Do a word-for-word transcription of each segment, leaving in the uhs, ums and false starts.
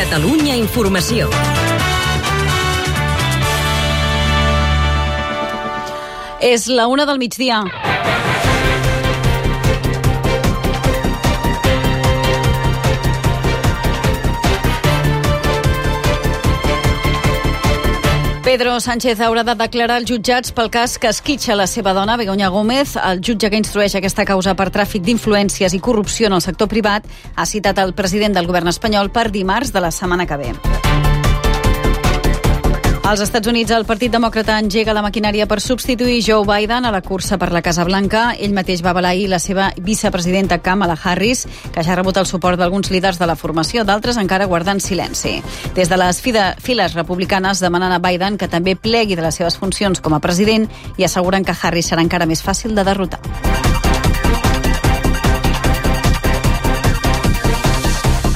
Catalunya Informació. És la una del migdia. Pedro Sánchez haurà de declarar als jutjats pel cas que esquitxa la seva dona, Begoña Gómez. El jutge que instrueix aquesta causa per tràfic d'influències i corrupció en el sector privat ha citat el president del govern espanyol per dimarts de la setmana que ve. Als Estats Units, el Partit Demòcrata engega la maquinària per substituir Joe Biden a la cursa per la Casa Blanca. Ell mateix va avalar ahir la seva vicepresidenta Kamala Harris, que ja ha rebut el suport d'alguns líders de la formació, d'altres encara guardant silenci. Des de les files republicanes demanen a Biden que també plegui de les seves funcions com a president i asseguren que Harris serà encara més fàcil de derrotar.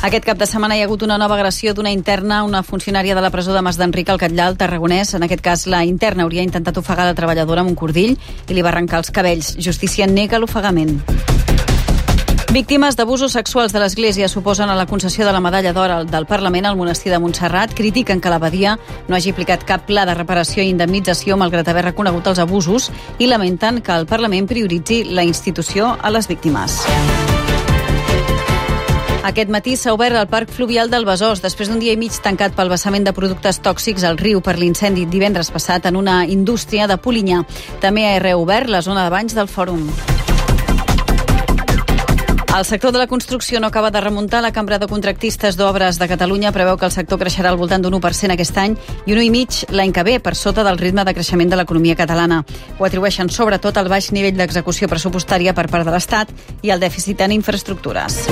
Aquest cap de setmana hi ha hagut una nova agressió d'una interna, una funcionària de la presó de Mas d'Enric al Catllar, al Tarragonès. En aquest cas, la interna hauria intentat ofegar la treballadora amb un cordill i li va arrencar els cabells. Justícia nega l'ofegament. Víctimes d'abusos sexuals de l'Església suposen a la concessió de la medalla d'or del Parlament al monestir de Montserrat. Critiquen que l'abadia no hagi aplicat cap pla de reparació i indemnització malgrat haver reconegut els abusos i lamenten que el Parlament prioritzi la institució a les víctimes. Aquest matí s'ha obert el parc fluvial del Besòs després d'un dia i mig tancat pel vessament de productes tòxics al riu per l'incendi divendres passat en una indústria de Polinyà. També ha reobert la zona de banys del Fòrum. El sector de la construcció no acaba de remuntar. La Cambra de Contractistes d'Obres de Catalunya preveu que el sector creixerà al voltant d'un u per cent aquest any i un u i mig l'any que ve, per sota del ritme de creixement de l'economia catalana. Ho atribueixen sobretot al baix nivell d'execució pressupostària per part de l'Estat i al dèficit en infraestructures.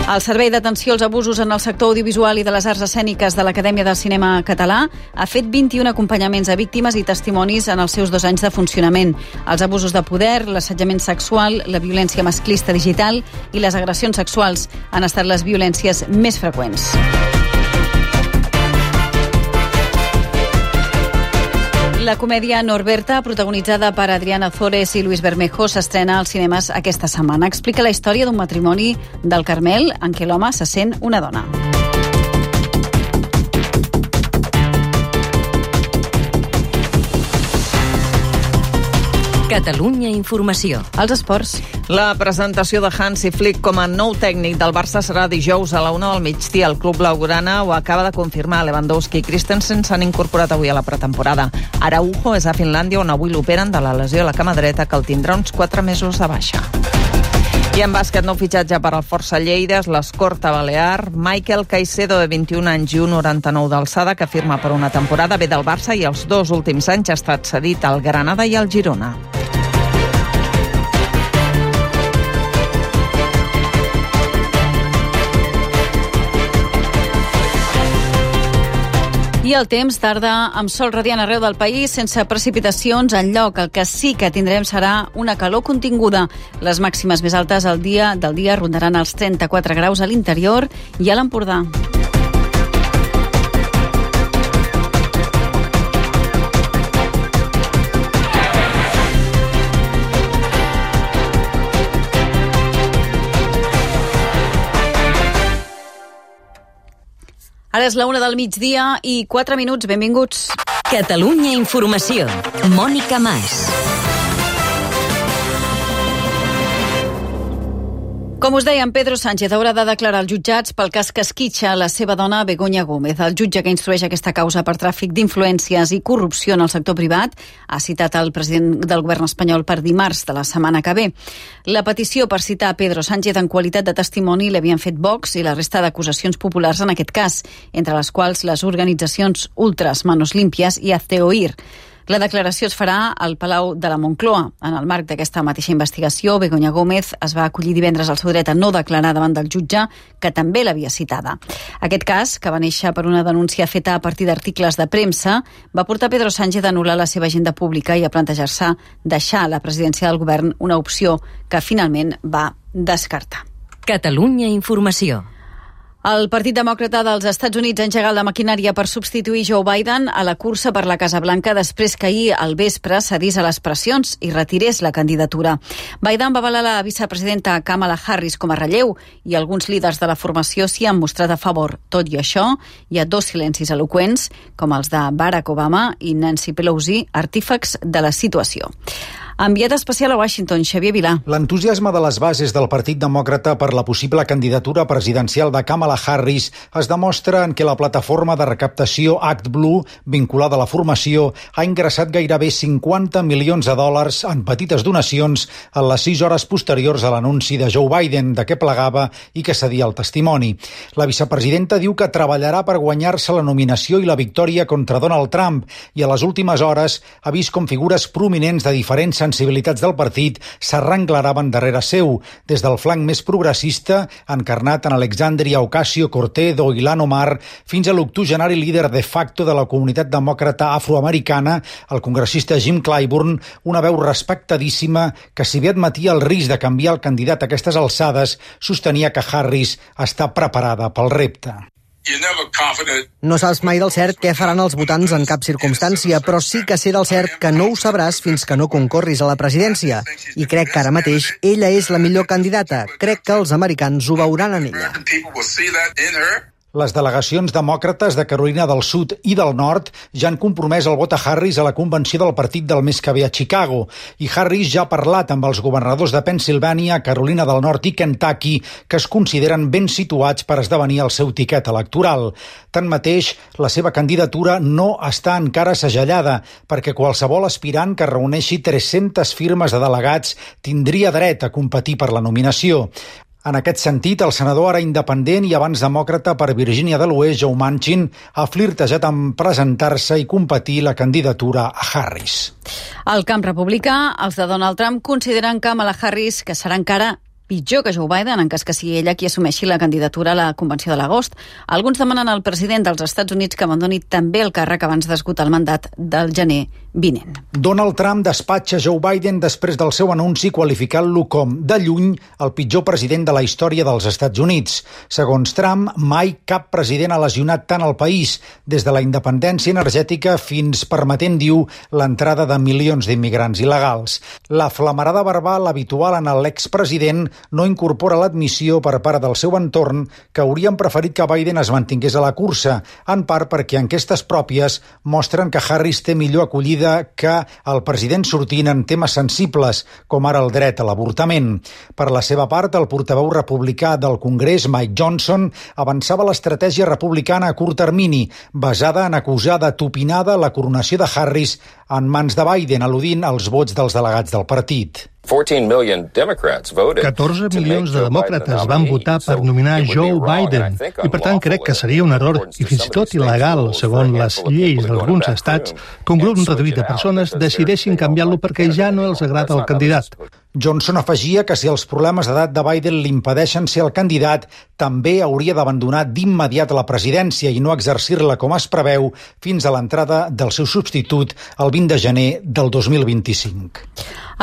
El Servei d'Atenció als Abusos en el sector audiovisual i de les arts escèniques de l'Acadèmia del Cinema Català ha fet vint-i-un acompanyaments a víctimes i testimonis en els seus dos anys de funcionament. Els abusos de poder, l'assetjament sexual, la violència masclista digital i les agressions sexuals han estat les violències més freqüents. La comèdia Norberta, protagonitzada per Adriana Ozores i Luis Bermejo, s'estrena als cinemes aquesta setmana. Explica la història d'un matrimoni del Carmel en què l'home se sent una dona. Catalunya Informació. Els esports. La presentació de Hansi Flick com a nou tècnic del Barça serà dijous a la una del migdia. El club blaugrana ho acaba de confirmar. Lewandowski i Christensen s'han incorporat avui a la pretemporada. Araujo és a Finlàndia, on avui l'operen de la lesió a la cama dreta, que el tindrà uns quatre mesos de baixa. I en bàsquet, nou fitxatge per al Força Lleida, l'Escorta Balear. Michael Caicedo, de vint-i-un anys i un coma noranta-nou d'alçada, que firma per una temporada, ve del Barça i els dos últims anys ha estat cedit al Granada i al Girona. I el temps tarda amb sol radiant arreu del país, sense precipitacions enlloc. El que sí que tindrem serà una calor continguda. Les màximes més altes al dia del dia rondaran els trenta-quatre graus a l'interior i a l'Empordà. Ara és la una del migdia i quatre minuts. Benvinguts. Catalunya Informació. Mònica Mas. Com us dèiem, Pedro Sánchez haurà de declarar als jutjats pel cas que esquitxa la seva dona Begoña Gómez. El jutge que instrueix aquesta causa per tràfic d'influències i corrupció en el sector privat ha citat el president del govern espanyol per dimarts de la setmana que ve. La petició per citar Pedro Sánchez en qualitat de testimoni l'havien fet Vox i la resta d'acusacions populars en aquest cas, entre les quals les organitzacions ultras Manos Limpias i Hazte Oír. La declaració es farà al Palau de la Moncloa. En el marc d'aquesta mateixa investigació, Begoña Gómez es va acollir divendres al seu dret a no declarar davant del jutge, que també l'havia citada. Aquest cas, que va néixer per una denúncia feta a partir d'articles de premsa, va portar Pedro Sánchez a anul·lar la seva agenda pública i a plantejar-se deixar la presidència del govern, una opció que finalment va descartar. Catalunya Informació. El Partit Demòcrata dels Estats Units ha engegat la maquinària per substituir Joe Biden a la cursa per la Casa Blanca després que ahir al vespre cedís a les pressions i retirés la candidatura. Biden va avalar la vicepresidenta Kamala Harris com a relleu i alguns líders de la formació s'hi han mostrat a favor. Tot i això, hi ha dos silencis eloqüents, com els de Barack Obama i Nancy Pelosi, artífex de la situació. Enviat especial a Washington, Xavier Vilà. L'entusiasme de les bases del Partit Demòcrata per la possible candidatura presidencial de Kamala Harris es demostra en què la plataforma de recaptació ActBlue, vinculada a la formació, ha ingressat gairebé cinquanta milions de dòlars en petites donacions en les sis hores posteriors a l'anunci de Joe Biden de què plegava i que cedia el testimoni. La vicepresidenta diu que treballarà per guanyar-se la nominació i la victòria contra Donald Trump i a les últimes hores ha vist com figures prominents de diferents sensibilitats del partit s'arrenglaraven darrere seu, des del flanc més progressista, encarnat en Alexandria Ocasio-Cortez o Ilhan Omar, fins a l'octogenari líder de facto de la comunitat demòcrata afroamericana, el congressista Jim Clyburn, una veu respectadíssima que, si bé admetia el risc de canviar el candidat a aquestes alçades, sostenia que Harris està preparada pel repte. No saps mai del cert què faran els votants en cap circumstància, però sí que sé del cert que no ho sabràs fins que no concorris a la presidència. I crec que ara mateix ella és la millor candidata. Crec que els americans ho veuran en ella. Les delegacions demòcrates de Carolina del Sud i del Nord ja han compromès el vot a Harris a la convenció del partit del mes que ve a Chicago. I Harris ja ha parlat amb els governadors de Pennsilvània, Carolina del Nord i Kentucky, que es consideren ben situats per esdevenir el seu tiquet electoral. Tanmateix, la seva candidatura no està encara segellada, perquè qualsevol aspirant que reuneixi tres-centes firmes de delegats tindria dret a competir per la nominació. En aquest sentit, el senador ara independent i abans demòcrata per Virgínia de l'Oest, Joe Manchin, ha flirtejat amb presentar-se i competir la candidatura a Harris. Al camp republicà, els de Donald Trump consideren Kamala Harris que serà encara pitjor que Joe Biden en cas que sigui ella qui assumeixi la candidatura a la convenció de l'agost. Alguns demanen al president dels Estats Units que abandoni també el càrrec abans d'esgotar el mandat del gener vinent. Donald Trump despatxa Joe Biden després del seu anunci qualificant-lo com, de lluny, el pitjor president de la història dels Estats Units. Segons Trump, mai cap president ha lesionat tant el país, des de la independència energètica fins permetent, diu, l'entrada de milions d'immigrants il·legals. La flamarada verbal habitual en l'expresident no incorpora l'admissió per part del seu entorn que haurien preferit que Biden es mantingués a la cursa, en part perquè enquestes pròpies mostren que Harris té millor acollida que el president sortint en temes sensibles, com ara el dret a l'avortament. Per la seva part, el portaveu republicà del Congrés, Mike Johnson, avançava l'estratègia republicana a curt termini, basada en acusar de tupinada la coronació de Harris en mans de Biden, al·ludint als vots dels delegats del partit. catorze milions de demòcrates van votar per nominar Joe Biden i, per tant, crec que seria un error i fins i tot il·legal, segons les lleis d'alguns estats, que un grup reduït de persones decideixin canviar-lo perquè ja no els agrada el candidat. Johnson afegia que si els problemes d'edat de Biden l'impedeixen ser el candidat, també hauria d'abandonar d'immediat la presidència i no exercir-la com es preveu fins a l'entrada del seu substitut el vint de gener del dos mil vint-i-cinc.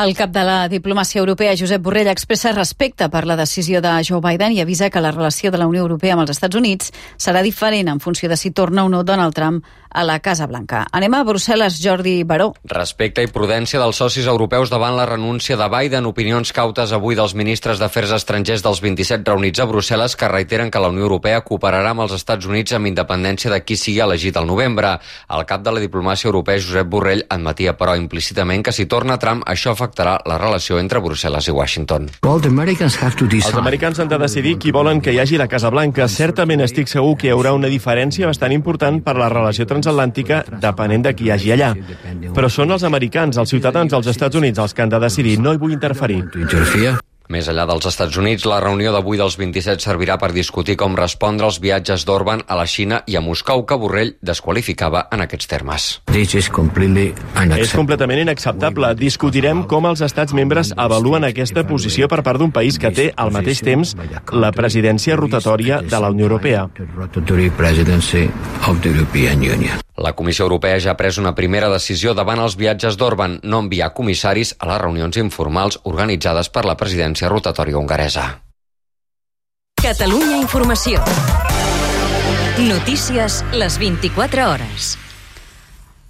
El cap de la diplomàcia europea, Josep Borrell, expressa respecte per la decisió de Joe Biden i avisa que la relació de la Unió Europea amb els Estats Units serà diferent en funció de si torna o no Donald Trump a la Casa Blanca. Anem a Brussel·les, Jordi Baró. Respecte i prudència dels socis europeus davant la renúncia de Biden. Opinions cautes avui dels ministres d'Afers Estrangers dels vint-i-set reunits a Brussel·les que reiteren que la Unió Europea cooperarà amb els Estats Units amb independència de qui sigui elegit al novembre. El cap de la diplomàcia europea, Josep Borrell, admetia però implícitament que si torna Trump això afectarà la relació entre Brussel·les i Washington. Els americans han de decidir qui volen que hi hagi a la Casa Blanca. Certament estic segur que hi haurà una diferència bastant important per la relació transatlàntica depenent de qui hi hagi allà. Però són els americans, els ciutadans dels Estats Units, els que han de decidir. No hi vull interferir. Més enllà dels Estats Units, la reunió d'avui dels vint-i-set servirà per discutir com respondre als viatges d'Orban a la Xina i a Moscou, que Borrell desqualificava en aquests termes. És completament inacceptable. Discutirem com els estats membres avaluen aquesta posició per part d'un país que té, al mateix temps, la presidència rotatòria de la Unió Europea. La Comissió Europea ja ha pres una primera decisió davant els viatges d'Orban, no enviar comissaris a les reunions informals organitzades per la presidència rotatòria hongaresa. Catalunya Informació. Notícies les vint-i-quatre hores.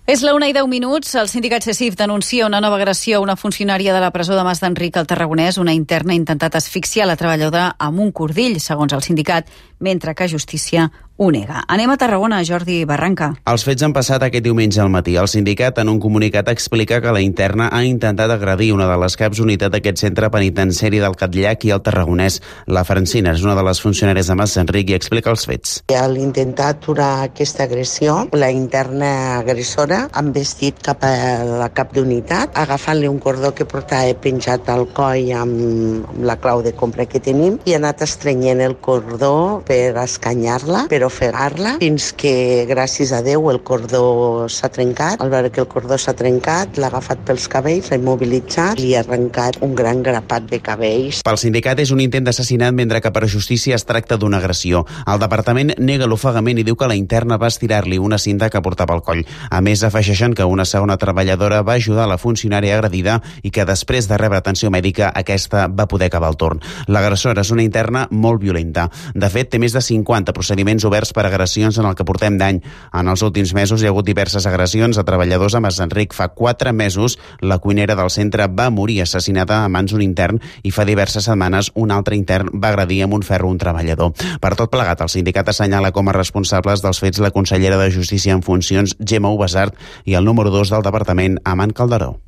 És la una i deu minuts. El sindicat CECIF denuncia una nova agressió a una funcionària de la presó de Mas d'Enric al Tarragonès. Una interna ha intentat asfixiar la treballadora amb un cordill, segons el sindicat, mentre que Justícia ho nega. Anem a Tarragona, Jordi Barranca. Els fets han passat aquest diumenge al matí. El sindicat, en un comunicat, explica que la interna ha intentat agredir una de les caps unitat d'aquest centre penitenciari del Catllac i el Tarragonès. La Francina és una de les funcionàries de Mas d'Enric i explica els fets. Al intentar aturar aquesta agressió, la interna agressora han vestit cap a la cap d'unitat, agafant-li un cordó que portava penjat al coll amb, amb la clau de compra que tenim i ha anat estrenyent el cordó per escanyar-la, per ofegar-la, fins que, gràcies a Déu, el cordó s'ha trencat. Al veure que el cordó s'ha trencat, l'ha agafat pels cabells, l'ha immobilitzat i ha arrencat un gran grapat de cabells. Pel sindicat és un intent d'assassinat, mentre que per justícia es tracta d'una agressió. El departament nega l'ofegament i diu que la interna va estirar-li una cinta que portava al coll. A més, afegeixen que una segona treballadora va ajudar la funcionària agredida i que després de rebre atenció mèdica aquesta va poder acabar el torn. L'agressora és una interna molt violenta. De fet, té més de cinquanta procediments oberts per agressions en el que portem d'any. En els últims mesos hi ha hagut diverses agressions a treballadors a Mas d'Enric. Fa quatre mesos la cuinera del centre va morir assassinada a mans d'un intern i fa diverses setmanes un altre intern va agredir amb un ferro un treballador. Per tot plegat, el sindicat assenyala com a responsables dels fets la consellera de Justícia en funcions, Gemma Ubasart, i el número dos del departament, Amant Calderó.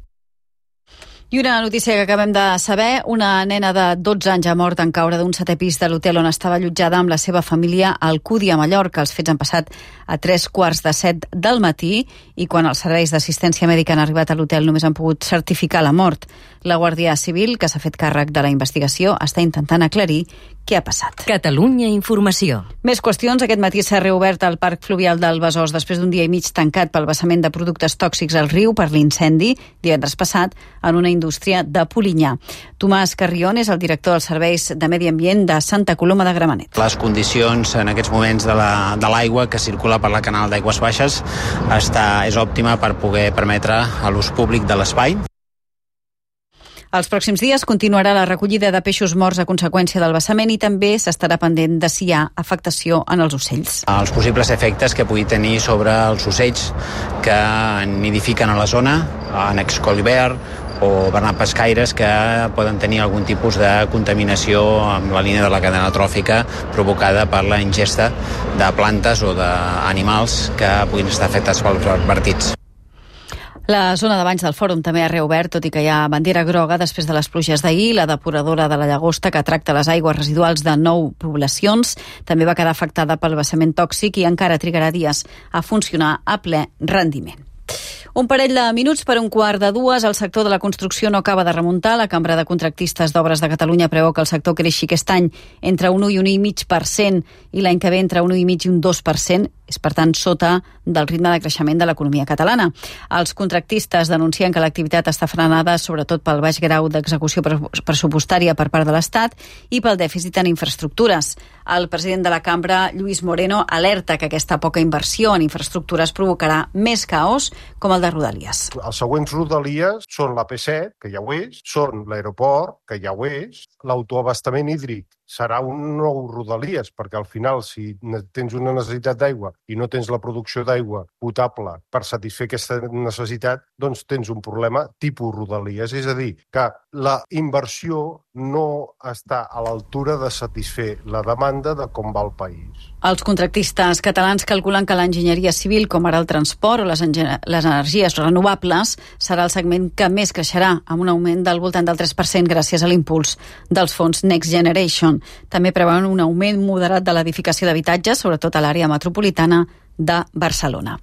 I una notícia que acabem de saber, una nena de dotze anys ha mort en caure d'un setè pis de l'hotel on estava allotjada amb la seva família al Cudi a Mallorca. Els fets han passat a tres quarts de set del matí i quan els serveis d'assistència mèdica han arribat a l'hotel només han pogut certificar la mort. La Guàrdia Civil, que s'ha fet càrrec de la investigació, està intentant aclarir què ha passat. Catalunya Informació. Més qüestions. Aquest matí s'ha reobert el parc fluvial del Besòs després d'un dia i mig tancat pel vessament de productes tòxics al riu per l'incendi divendres passat en una indústria de Polinyà. Tomàs Carrion és el director dels serveis de Medi Ambient de Santa Coloma de Gramenet. Les condicions en aquests moments de la, de l'aigua que circula per la canal d'aigües baixes està, és òptima per poder permetre a l'ús públic de l'espai. Els pròxims dies continuarà la recollida de peixos morts a conseqüència del vessament i també s'estarà pendent de si hi ha afectació en els ocells. Els possibles efectes que pugui tenir sobre els ocells que nidifiquen a la zona, en excolibert o bernat-pescaires que poden tenir algun tipus de contaminació amb la línia de la cadena tròfica provocada per la ingesta de plantes o d'animals que puguin estar afectats pels vertits. La zona de banys del Fòrum també ha reobert, tot i que hi ha bandera groga després de les pluges d'ahir. La depuradora de la Llagosta, que tracta les aigües residuals de nou poblacions, també va quedar afectada pel vessament tòxic i encara trigarà dies a funcionar a ple rendiment. Un parell de minuts per un quart de dues. El sector de la construcció no acaba de remuntar. La Cambra de Contractistes d'Obres de Catalunya preveu que el sector creixi aquest any entre un u i un i mig per cent i l'any que ve entre un u i mig i un dos per cent. És, per tant, sota del ritme de creixement de l'economia catalana. Els contractistes denuncien que l'activitat està frenada sobretot pel baix grau d'execució pressupostària per part de l'Estat i pel dèficit en infraestructures. El president de la Cambra, Lluís Moreno, alerta que aquesta poca inversió en infraestructures provocarà més caos com el de Rodalies. Els següents Rodalies són l'A P set, que ja ho és, són l'aeroport, que ja ho és, l'autoabastament hídric serà un nou Rodalies, perquè al final, si tens una necessitat d'aigua i no tens la producció d'aigua potable per satisfer aquesta necessitat, doncs tens un problema tipus Rodalies. És a dir, que la inversió no està a l'altura de satisfer la demanda de com va el país. Els contractistes catalans calculen que l'enginyeria civil, com ara el transport o les, les energies renovables, serà el segment que més creixerà, amb un augment del voltant del tres per cent gràcies a l'impuls dels fons Next Generation. També preveuen un augment moderat de l'edificació d'habitatges, sobretot a l'àrea metropolitana de Barcelona.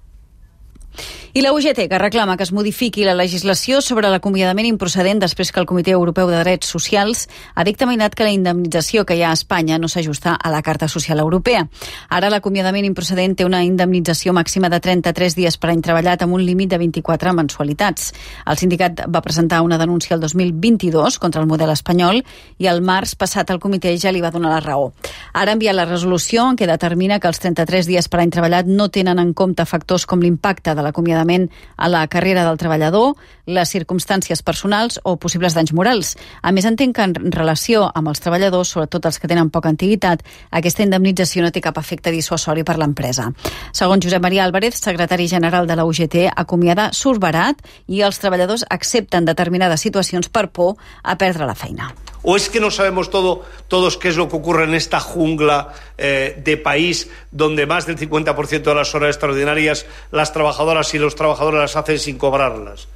I la U G T, que reclama que es modifiqui la legislació sobre l'acomiadament improcedent després que el Comitè Europeu de Drets Socials ha dictaminat que la indemnització que hi ha a Espanya no s'ajusta a la Carta Social Europea. Ara l'acomiadament improcedent té una indemnització màxima de trenta-tres dies per any treballat amb un límit de vint-i-quatre mensualitats. El sindicat va presentar una denúncia el dos mil vint-i-dos contra el model espanyol i el març passat el comitè ja li va donar la raó. Ara ha enviat la resolució en què determina que els trenta-tres dies per any treballat no tenen en compte factors com l'impacte de de l'acomiadament a la carrera del treballador, les circumstàncies personals o possibles danys morals. A més, entenc que en relació amb els treballadors, sobretot els que tenen poca antiguitat, aquesta indemnització no té cap efecte dissuasori per l'empresa. Segons Josep Maria Álvarez, secretari general de la U G T, acomiadar surt barat i els treballadors accepten determinades situacions per por a perdre la feina. ¿O es que no sabemos todo, todos qué es lo que ocurre en esta jungla eh, de país donde más del cincuenta por ciento de las horas extraordinarias las trabajadoras y los trabajadores las hacen sin cobrarlas?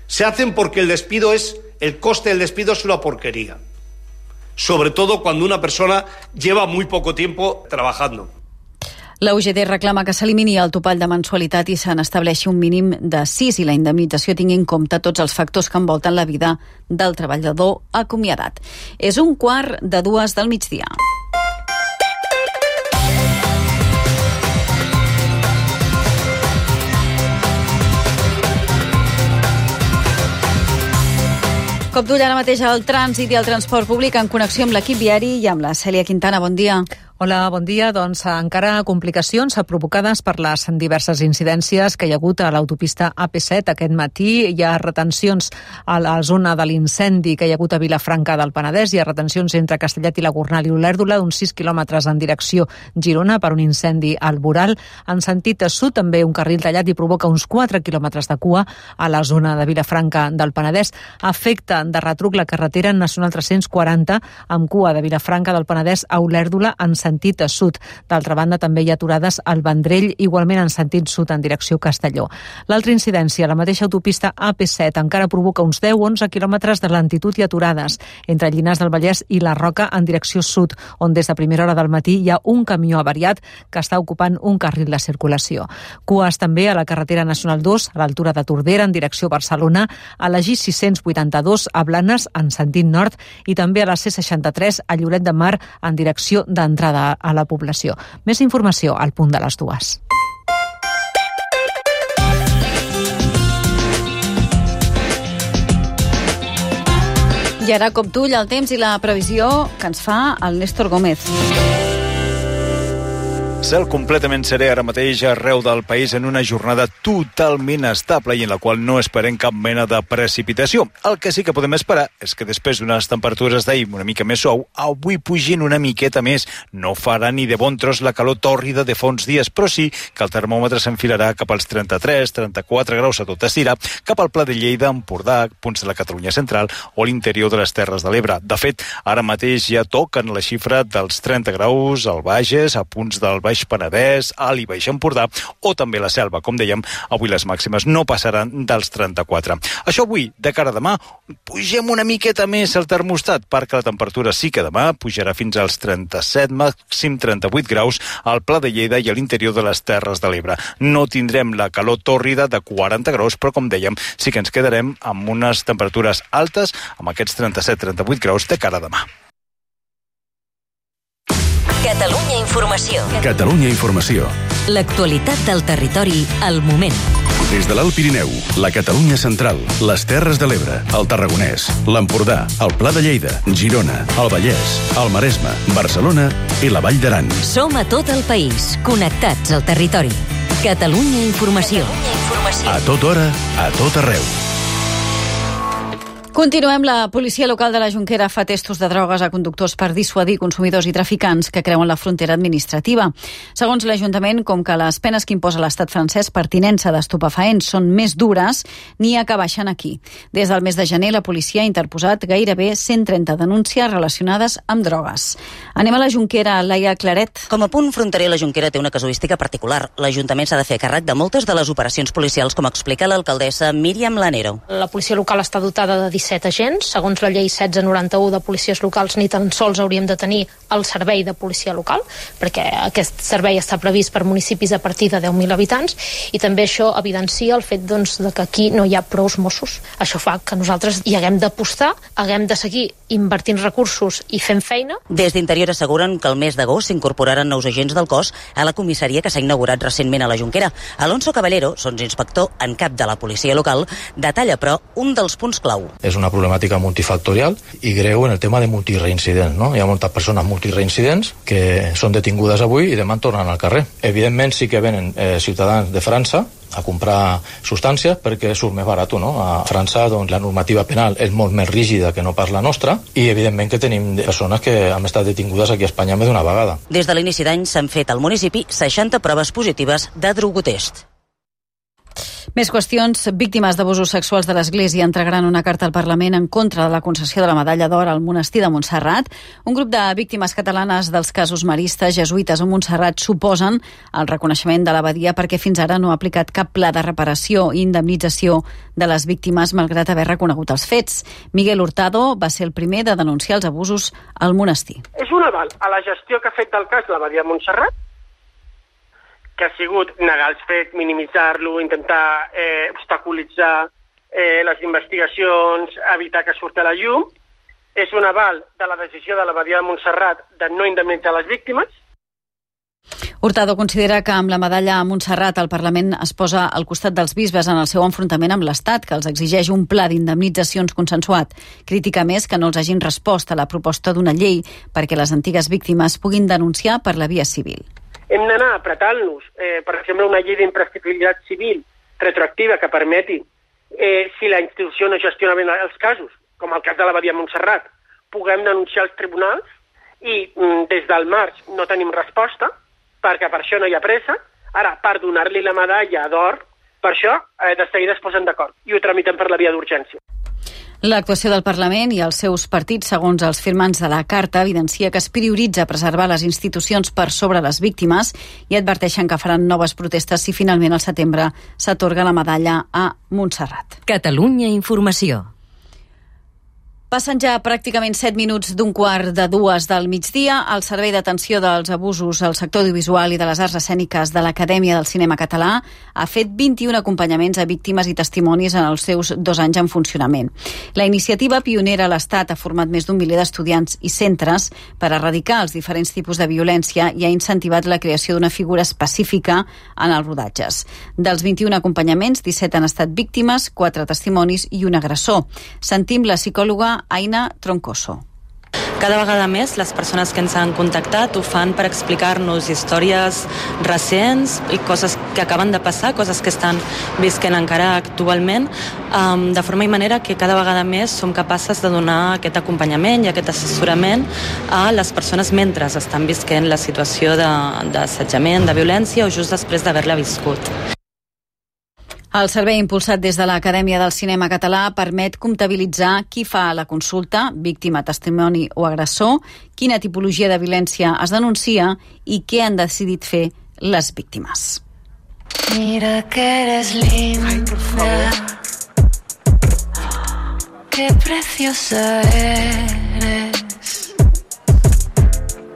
Se hacen porque el despido es, el coste del despido es una porquería. Sobre todo cuando una persona lleva muy poco tiempo trabajando. La U G T reclama que s'elimini el topall de mensualitat i se n'estableixi un mínim de sis i la indemnització tingui en compte tots els factors que envolten la vida del treballador acomiadat. És un quart de dues del migdia. Cop d'ull ara mateix al trànsit i al transport públic en connexió amb l'equip viari i amb la Cèlia Quintana. Bon dia. Hola, bon dia. Doncs encara complicacions provocades per les diverses incidències que hi ha hagut a l'autopista A P set aquest matí. Hi ha retencions a la zona de l'incendi que hi ha hagut a Vilafranca del Penedès. Hi ha retencions entre Castellet i la Gornal i Olèrdola d'uns sis quilòmetres en direcció Girona per un incendi al Boral. En sentit sud també un carril tallat i provoca uns quatre quilòmetres de cua a la zona de Vilafranca del Penedès. Afecta de retruc la carretera nacional tres-cents quaranta amb cua de Vilafranca del Penedès a Olèrdola en sentit sentit sud. D'altra banda, també hi ha aturades al Vendrell, igualment en sentit sud en direcció Castelló. L'altra incidència, la mateixa autopista A P set, encara provoca uns deu a onze quilòmetres de lentitud i aturades entre Llinars del Vallès i la Roca en direcció sud, on des de primera hora del matí hi ha un camió avariat que està ocupant un carril de circulació. Cues també a la carretera nacional dos, a l'altura de Tordera, en direcció Barcelona, a la G sis-cents vuitanta-dos, a Blanes, en sentit nord, i també a la C seixanta-tres, a Lloret de Mar, en direcció d'entrada a la població. Més informació al punt de les dues. I ara cop d'ull al temps i la previsió que ens fa el Néstor Gómez. Cel completament serè ara mateix arreu del país en una jornada totalment estable i en la qual no esperem cap mena de precipitació. El que sí que podem esperar és que després d'unes temperatures d'ahir una mica més suau, avui pugin una miqueta més. No farà ni de bon tros la calor tòrrida de fa uns dies, però sí que el termòmetre s'enfilarà cap als trenta-tres trenta-quatre graus a tot estirar, cap al Pla de Lleida, Empordà, punts de la Catalunya central o l'interior de les Terres de l'Ebre. De fet, ara mateix ja toquen la xifra dels trenta graus al Bages, a punts del Baix Penedès, Alt i Baix Empordà o també la Selva. Com dèiem, avui les màximes no passaran dels trenta-quatre. Això avui, de cara a demà, pugem una miqueta més el termostat perquè la temperatura sí que demà pujarà fins als trenta-set, màxim trenta-vuit graus al Pla de Lleida i a l'interior de les Terres de l'Ebre. No tindrem la calor tòrrida de quaranta graus, però com dèiem, sí que ens quedarem amb unes temperatures altes, amb aquests trenta-set trenta-vuit graus de cara a demà. Catalunya Informació. Catalunya Informació. L'actualitat del territori al moment. Des de l'Alt Pirineu, la Catalunya central, les Terres de l'Ebre, el Tarragonès, l'Empordà, el Pla de Lleida, Girona, el Vallès, el Maresme, Barcelona i la Vall d'Aran. Som a tot el país, connectats al territori. Catalunya Informació. Catalunya Informació. A tota hora, a tot arreu. Continuem. La policia local de la Jonquera fa testos de drogues a conductors per dissuadir consumidors i traficants que creuen la frontera administrativa. Segons l'Ajuntament, com que les penes que imposa l'estat francès per tinença d'estupefaents són més dures, n'hi ha que baixen aquí. Des del mes de gener, la policia ha interposat gairebé cent trenta denúncies relacionades amb drogues. Anem a la Jonquera, Laia Claret. Com a punt fronterer, la Jonquera té una casuística particular. L'Ajuntament s'ha de fer càrrec de moltes de les operacions policials, com explica l'alcaldessa Míriam Lanero. La policia local està dotada de disset agents. Segons la llei setze noranta-u de policies locals, ni tan sols hauríem de tenir el servei de policia local, perquè aquest servei està previst per municipis a partir de deu mil habitants, i també això evidencia el fet doncs, de que aquí no hi ha prous Mossos. Això fa que nosaltres hi haguem d'apostar, haguem de seguir invertint recursos i fent feina. Des d'Interior asseguren que el mes d'agost s'incorporaran nous agents del cos a la comissaria que s'ha inaugurat recentment a la Jonquera. Alonso Caballero, sotsinspector en cap de la policia local, detalla, però, un dels punts clau. És una problemàtica multifactorial i greu en el tema de multireincidents, no? Hi ha moltes persones multireincidents que són detingudes avui i demà tornen al carrer. Evidentment sí que venen eh, ciutadans de França a comprar substàncies perquè surt més barat, no? A França doncs, la normativa penal és molt més rígida que no pas la nostra i evidentment que tenim persones que han estat detingudes aquí a Espanya més d'una vegada. Des de l'inici d'any s'han fet al municipi seixanta proves positives de drogotest. Més qüestions. Víctimes d'abusos sexuals de l'Església entregaran una carta al Parlament en contra de la concessió de la medalla d'or al monestir de Montserrat. Un grup de víctimes catalanes dels casos maristes, jesuïtes o Montserrat suposen el reconeixement de l'abadia perquè fins ara no ha aplicat cap pla de reparació i indemnització de les víctimes malgrat haver reconegut els fets. Miguel Hurtado va ser el primer de denunciar els abusos al monestir. És un aval a la gestió que ha fet del cas l'abadia de Montserrat, que ha sigut negar els fets, minimitzar-lo, intentar eh, obstaculitzar eh, les investigacions, evitar que surti a la llum. És un aval de la decisió de l'abadia de Montserrat de no indemnitzar les víctimes. Hurtado considera que amb la medalla a Montserrat el Parlament es posa al costat dels bisbes en el seu enfrontament amb l'Estat, que els exigeix un pla d'indemnitzacions consensuat. Critica més que no els hagin respost a la proposta d'una llei perquè les antigues víctimes puguin denunciar per la via civil. Hem d'anar apretant-nos, eh, per exemple, una llei d'imprescriptibilitat civil retroactiva que permeti, eh, si la institució no gestiona bé els casos, com el cas de l'abadia de Montserrat, puguem denunciar als tribunals i mm, des del març no tenim resposta, perquè per això no hi ha pressa. Ara, per donar-li la medalla d'or, per això eh, de seguida es posen d'acord i ho tramitem per la via d'urgència. L'actuació del Parlament i els seus partits, segons els firmants de la Carta, evidencia que es prioritza preservar les institucions per sobre les víctimes i adverteixen que faran noves protestes si finalment al setembre s'atorga la medalla a Montserrat. Catalunya Informació. Passen ja pràcticament set minuts d'un quart de dues del migdia. El Servei d'Atenció dels Abusos al Sector Audiovisual i de les Arts Escèniques de l'Acadèmia del Cinema Català ha fet vint-i-un acompanyaments a víctimes i testimonis en els seus dos anys en funcionament. La iniciativa pionera a l'Estat ha format més d'un miler d'estudiants i centres per erradicar els diferents tipus de violència i ha incentivat la creació d'una figura específica en els rodatges. Dels vint-i-un acompanyaments, disset han estat víctimes, quatre testimonis i un agressor. Sentim la psicòloga Aina Troncoso. Cada vegada més les persones que ens han contactat ho fan per explicar-nos històries recents i coses que acaben de passar, coses que estan visquent encara actualment, um, de forma i manera que cada vegada més som capaces de donar aquest acompanyament i aquest assessorament a les persones mentre estan visquent la situació d'assetjament, de, de violència o just després d'haver-la viscut. El servei impulsat des de l'Acadèmia del Cinema Català permet comptabilitzar qui fa la consulta, víctima, testimoni o agressor, quina tipologia de violència es denuncia i què han decidit fer les víctimes. Mira que eres linda, qué preciosa eres,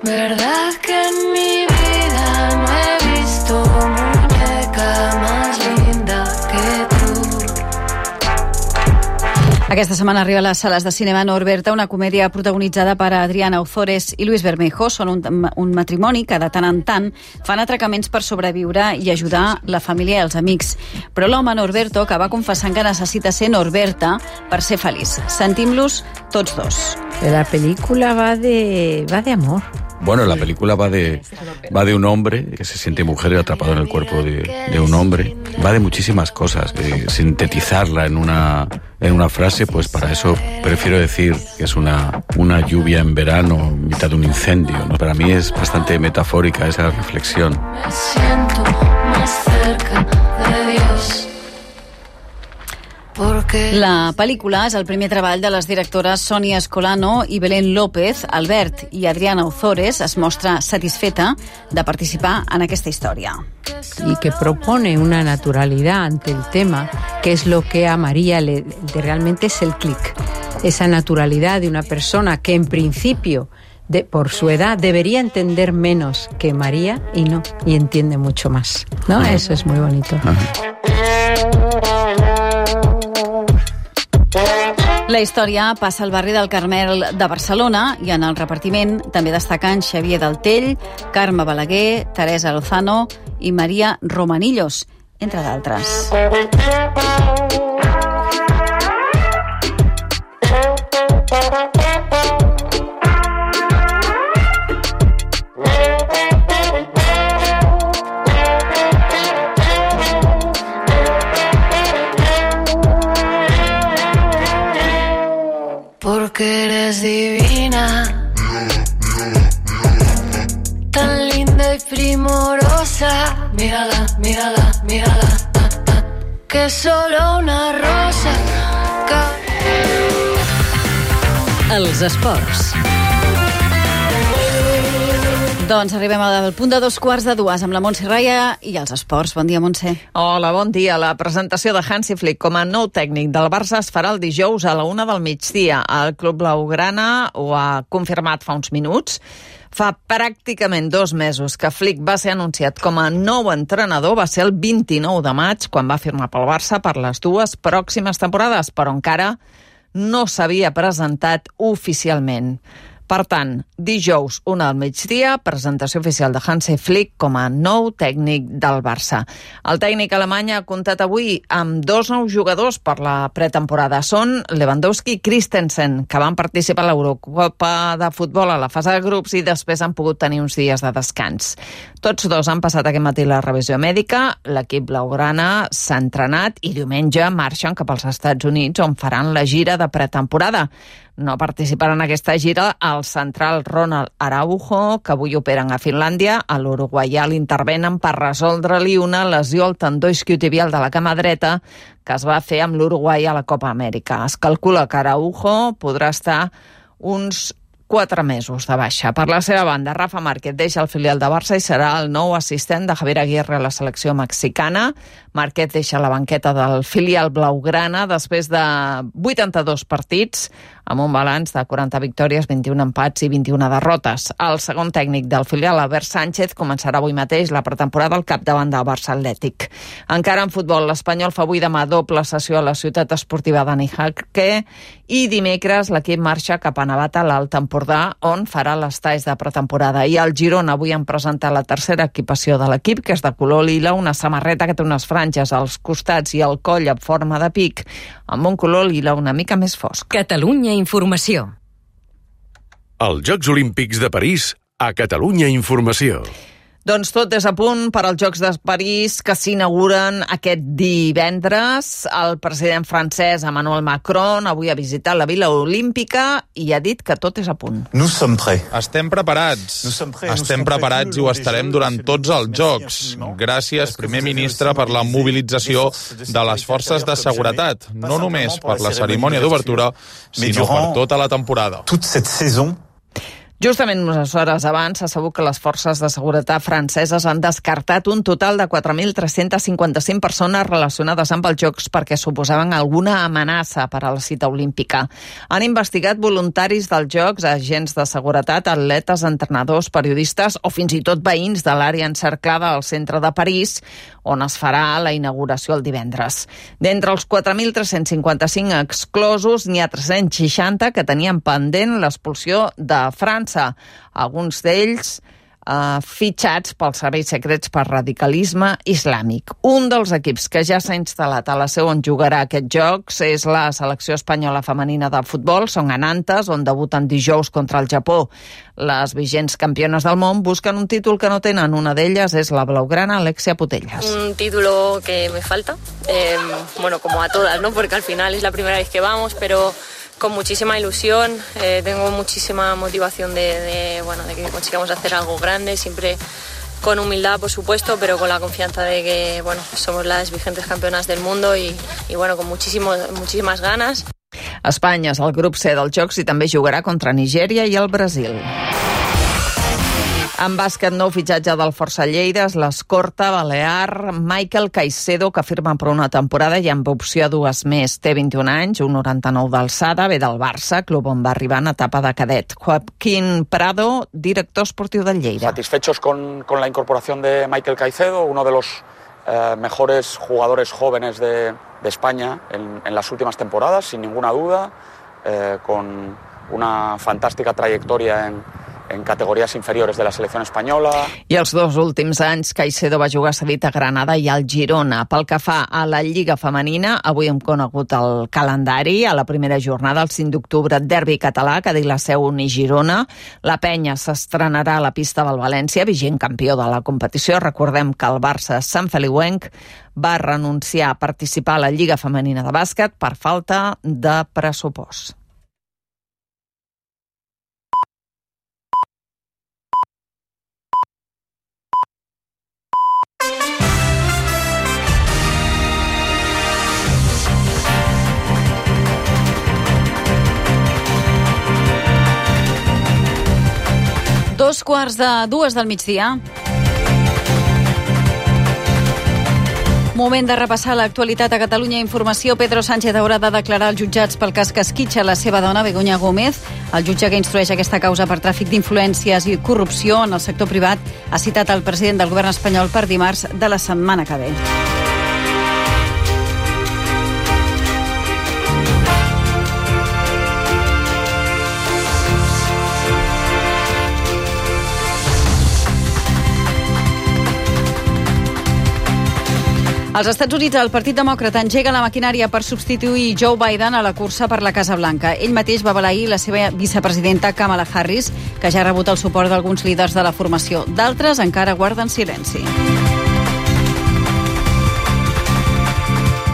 verdad que en mi vida no he visto muñeca más linda. Aquesta setmana arriba a les sales de cinema Norberta, una comèdia protagonitzada per Adriana Ozores i Luis Bermejo. Són un, un matrimoni que de tant en tant fan atracaments per sobreviure i ajudar la família i els amics. Però l'home Norberto acaba confessant que necessita ser Norberta per ser feliç. Sentim-los tots dos. La pel·lícula va de, va de amor. Bueno, la película va de, va de un hombre que se siente mujer atrapado en el cuerpo de, de un hombre. Va de muchísimas cosas. De sintetizarla en una, en una frase, pues para eso prefiero decir que es una, una lluvia en verano, en mitad de un incendio, ¿no? Para mí es bastante metafórica esa reflexión. Me siento más cerca de Dios. La pel·lícula és el primer treball de les directores Sonia Escolano i Belén López. Albert i Adriana Ozores es mostra satisfeta de participar en aquesta història. Y que propone una naturalidad ante el tema, que es lo que a María le, realmente es el clic. Esa naturalidad de una persona que en principio, de, por su edad, debería entender menos que María y no, y entiende mucho más, ¿no? Ajá. Eso es muy bonito. Ajá. La història passa al barri del Carmel de Barcelona i en el repartiment també destaquen Xavier Daltell, Carme Balaguer, Teresa Lozano i Maria Romanillos, entre d'altres. rosa, mírala, mírala, mírala, ah, ah, que es solo una rosa. Els esports. Doncs arribem al punt de dos quarts de dues amb la Montse Raya i els esports. Bon dia, Montse. Hola, bon dia. La presentació de Hansi Flick com a nou tècnic del Barça es farà el dijous a la una del migdia. El Club Blaugrana ho ha confirmat fa uns minuts. Fa pràcticament dos mesos que Flick va ser anunciat com a nou entrenador. Va ser el vint-i-nou de maig, quan va firmar pel Barça per les dues pròximes temporades, però encara no s'havia presentat oficialment. Per tant, dijous, una del migdia, presentació oficial de Hansi Flick com a nou tècnic del Barça. El tècnic alemany ha comptat avui amb dos nous jugadors per la pretemporada. Són Lewandowski i Christensen, que van participar a l'Eurocopa de futbol a la fase de grups i després han pogut tenir uns dies de descans. Tots dos han passat aquest matí la revisió mèdica, l'equip blaugrana s'ha entrenat i diumenge marxen cap als Estats Units, on faran la gira de pretemporada. No participaran en aquesta gira el central Ronald Araujo, que avui operen a Finlàndia. A l'uruguaià l'intervenen per resoldre-li una lesió al tendó isquiotibial de la cama dreta que es va fer amb l'Uruguai a la Copa Amèrica. Es calcula que Araujo podrà estar uns quatre mesos de baixa. Per la seva banda, Rafa Márquez deixa el filial de Barça i serà el nou assistent de Javier Aguirre a la selecció mexicana. Márquez deixa la banqueta del filial blaugrana després de vuitanta-dos partits, amb un balanç de quaranta victòries, vint-i-un empats i vint-i-una derrotes. El segon tècnic del filial, Albert Sánchez, començarà avui mateix la pretemporada al capdavant del Barça Atlètic. Encara en futbol, l'Espanyol fa avui demà doble sessió a la ciutat esportiva Dani Jarque i dimecres l'equip marxa cap a Navata, l'Alt Empordà, on farà els talls de pretemporada. I el Girona avui han presentat la tercera equipació de l'equip, que és de color lila, una samarreta que té unes franges als costats i al coll en forma de pic, amb un color lila una mica més fosc. Catalunya Informació. Els Jocs Olímpics de París a Catalunya Informació. Doncs tot és a punt per als Jocs de París, que s'inauguren aquest divendres. El president francès Emmanuel Macron avui ha visitat la Vila Olímpica i ha dit que tot és a punt. Estem preparats. Estem preparats i ho estarem durant tots els Jocs. Gràcies, primer ministre, per la mobilització de les forces de seguretat, no només per la cerimònia d'obertura, sinó per tota la temporada. Justament unes hores abans s'ha sabut que les forces de seguretat franceses han descartat un total de quatre mil tres-cents cinquanta-cinc persones relacionades amb els Jocs perquè suposaven alguna amenaça per a la cita olímpica. Han investigat voluntaris dels Jocs, agents de seguretat, atletes, entrenadors, periodistes o fins i tot veïns de l'àrea encerclada al centre de París, on es farà la inauguració el divendres. D'entre els quatre mil tres-cents cinquanta-cinc exclosos, n'hi ha tres-cents seixanta que tenien pendent l'expulsió de França. Alguns d'ells eh, fitxats pels serveis secrets per radicalisme islàmic. Un dels equips que ja s'ha instal·lat a la seu on jugarà aquests Jocs és la selecció espanyola femenina de futbol. Són a Nantes, on debuten dijous contra el Japó. Les vigents campiones del món busquen un títol que no tenen. Una d'elles és la blaugrana Alexia Putellas. Un título que me falta, eh, bueno, como a todas, ¿no? Porque al final es la primera vez que vamos, pero con muchísima ilusión, eh, tengo muchísima motivación de, de, bueno, de que consigamos hacer algo grande, siempre con humildad, por supuesto, pero con la confianza de que, bueno, somos las vigentes campeonas del mundo y, y bueno, con muchísimo, muchísimas ganas. Espanya és el grup C dels Jocs i també jugarà contra Nigèria i el Brasil. En bàsquet, nou fitxatge del Força Lleida és l'escorta balear Michael Caicedo, que firma per una temporada i amb opció a dues més. Té vint-i-un anys, un noranta-nou d'alçada, ve del Barça, club on va arribar en etapa de cadet. Joaquín Prado, director esportiu del Lleida. Satisfechos con, con la incorporación de Michael Caicedo, uno de los eh, mejores jugadores jóvenes de, de España en, en las últimas temporadas, sin ninguna duda, eh, con una fantástica trayectoria en en categories inferiores de la selecció espanyola. I els dos últims anys, Caicedo va jugar cedit a Granada i al Girona. Pel que fa a la Lliga Femenina, avui hem conegut el calendari. A la primera jornada, el cinc d'octubre, derbi català, que diu la Seu Uni Girona. La Penya s'estrenarà a la pista del València, vigent campió de la competició. Recordem que el Barça Sant Feliuenc va renunciar a participar a la Lliga Femenina de bàsquet per falta de pressupost. Dos quarts de dues del migdia. Moment de repassar l'actualitat a Catalunya Informació. Pedro Sánchez haurà de declarar als jutjats pel cas que esquitxa la seva dona, Begoña Gómez. El jutge que instrueix aquesta causa per tràfic d'influències i corrupció en el sector privat ha citat el president del govern espanyol per dimarts de la setmana que ve. Als Estats Units, el Partit Demòcrata engega la maquinària per substituir Joe Biden a la cursa per la Casa Blanca. Ell mateix va avalar ahir la seva vicepresidenta Kamala Harris, que ja ha rebut el suport d'alguns líders de la formació. D'altres encara guarden silenci.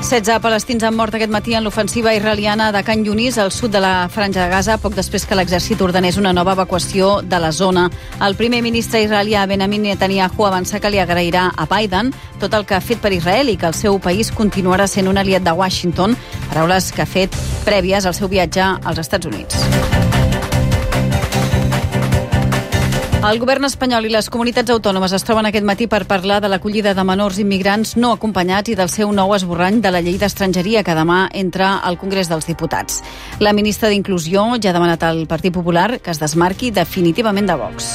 setze palestins han mort aquest matí en l'ofensiva israeliana de Khan Yunis, al sud de la Franja de Gaza, poc després que l'exèrcit ordenés una nova evacuació de la zona. El primer ministre israelià Benjamin Netanyahu avança que li agrairà a Biden tot el que ha fet per Israel i que el seu país continuarà sent un aliat de Washington, paraules que ha fet prèvies al seu viatge als Estats Units. El govern espanyol i les comunitats autònomes es troben aquest matí per parlar de l'acollida de menors immigrants no acompanyats i del seu nou esborrany de la llei d'estrangeria que demà entra al Congrés dels Diputats. La ministra d'Inclusió ja ha demanat al Partit Popular que es desmarqui definitivament de Vox.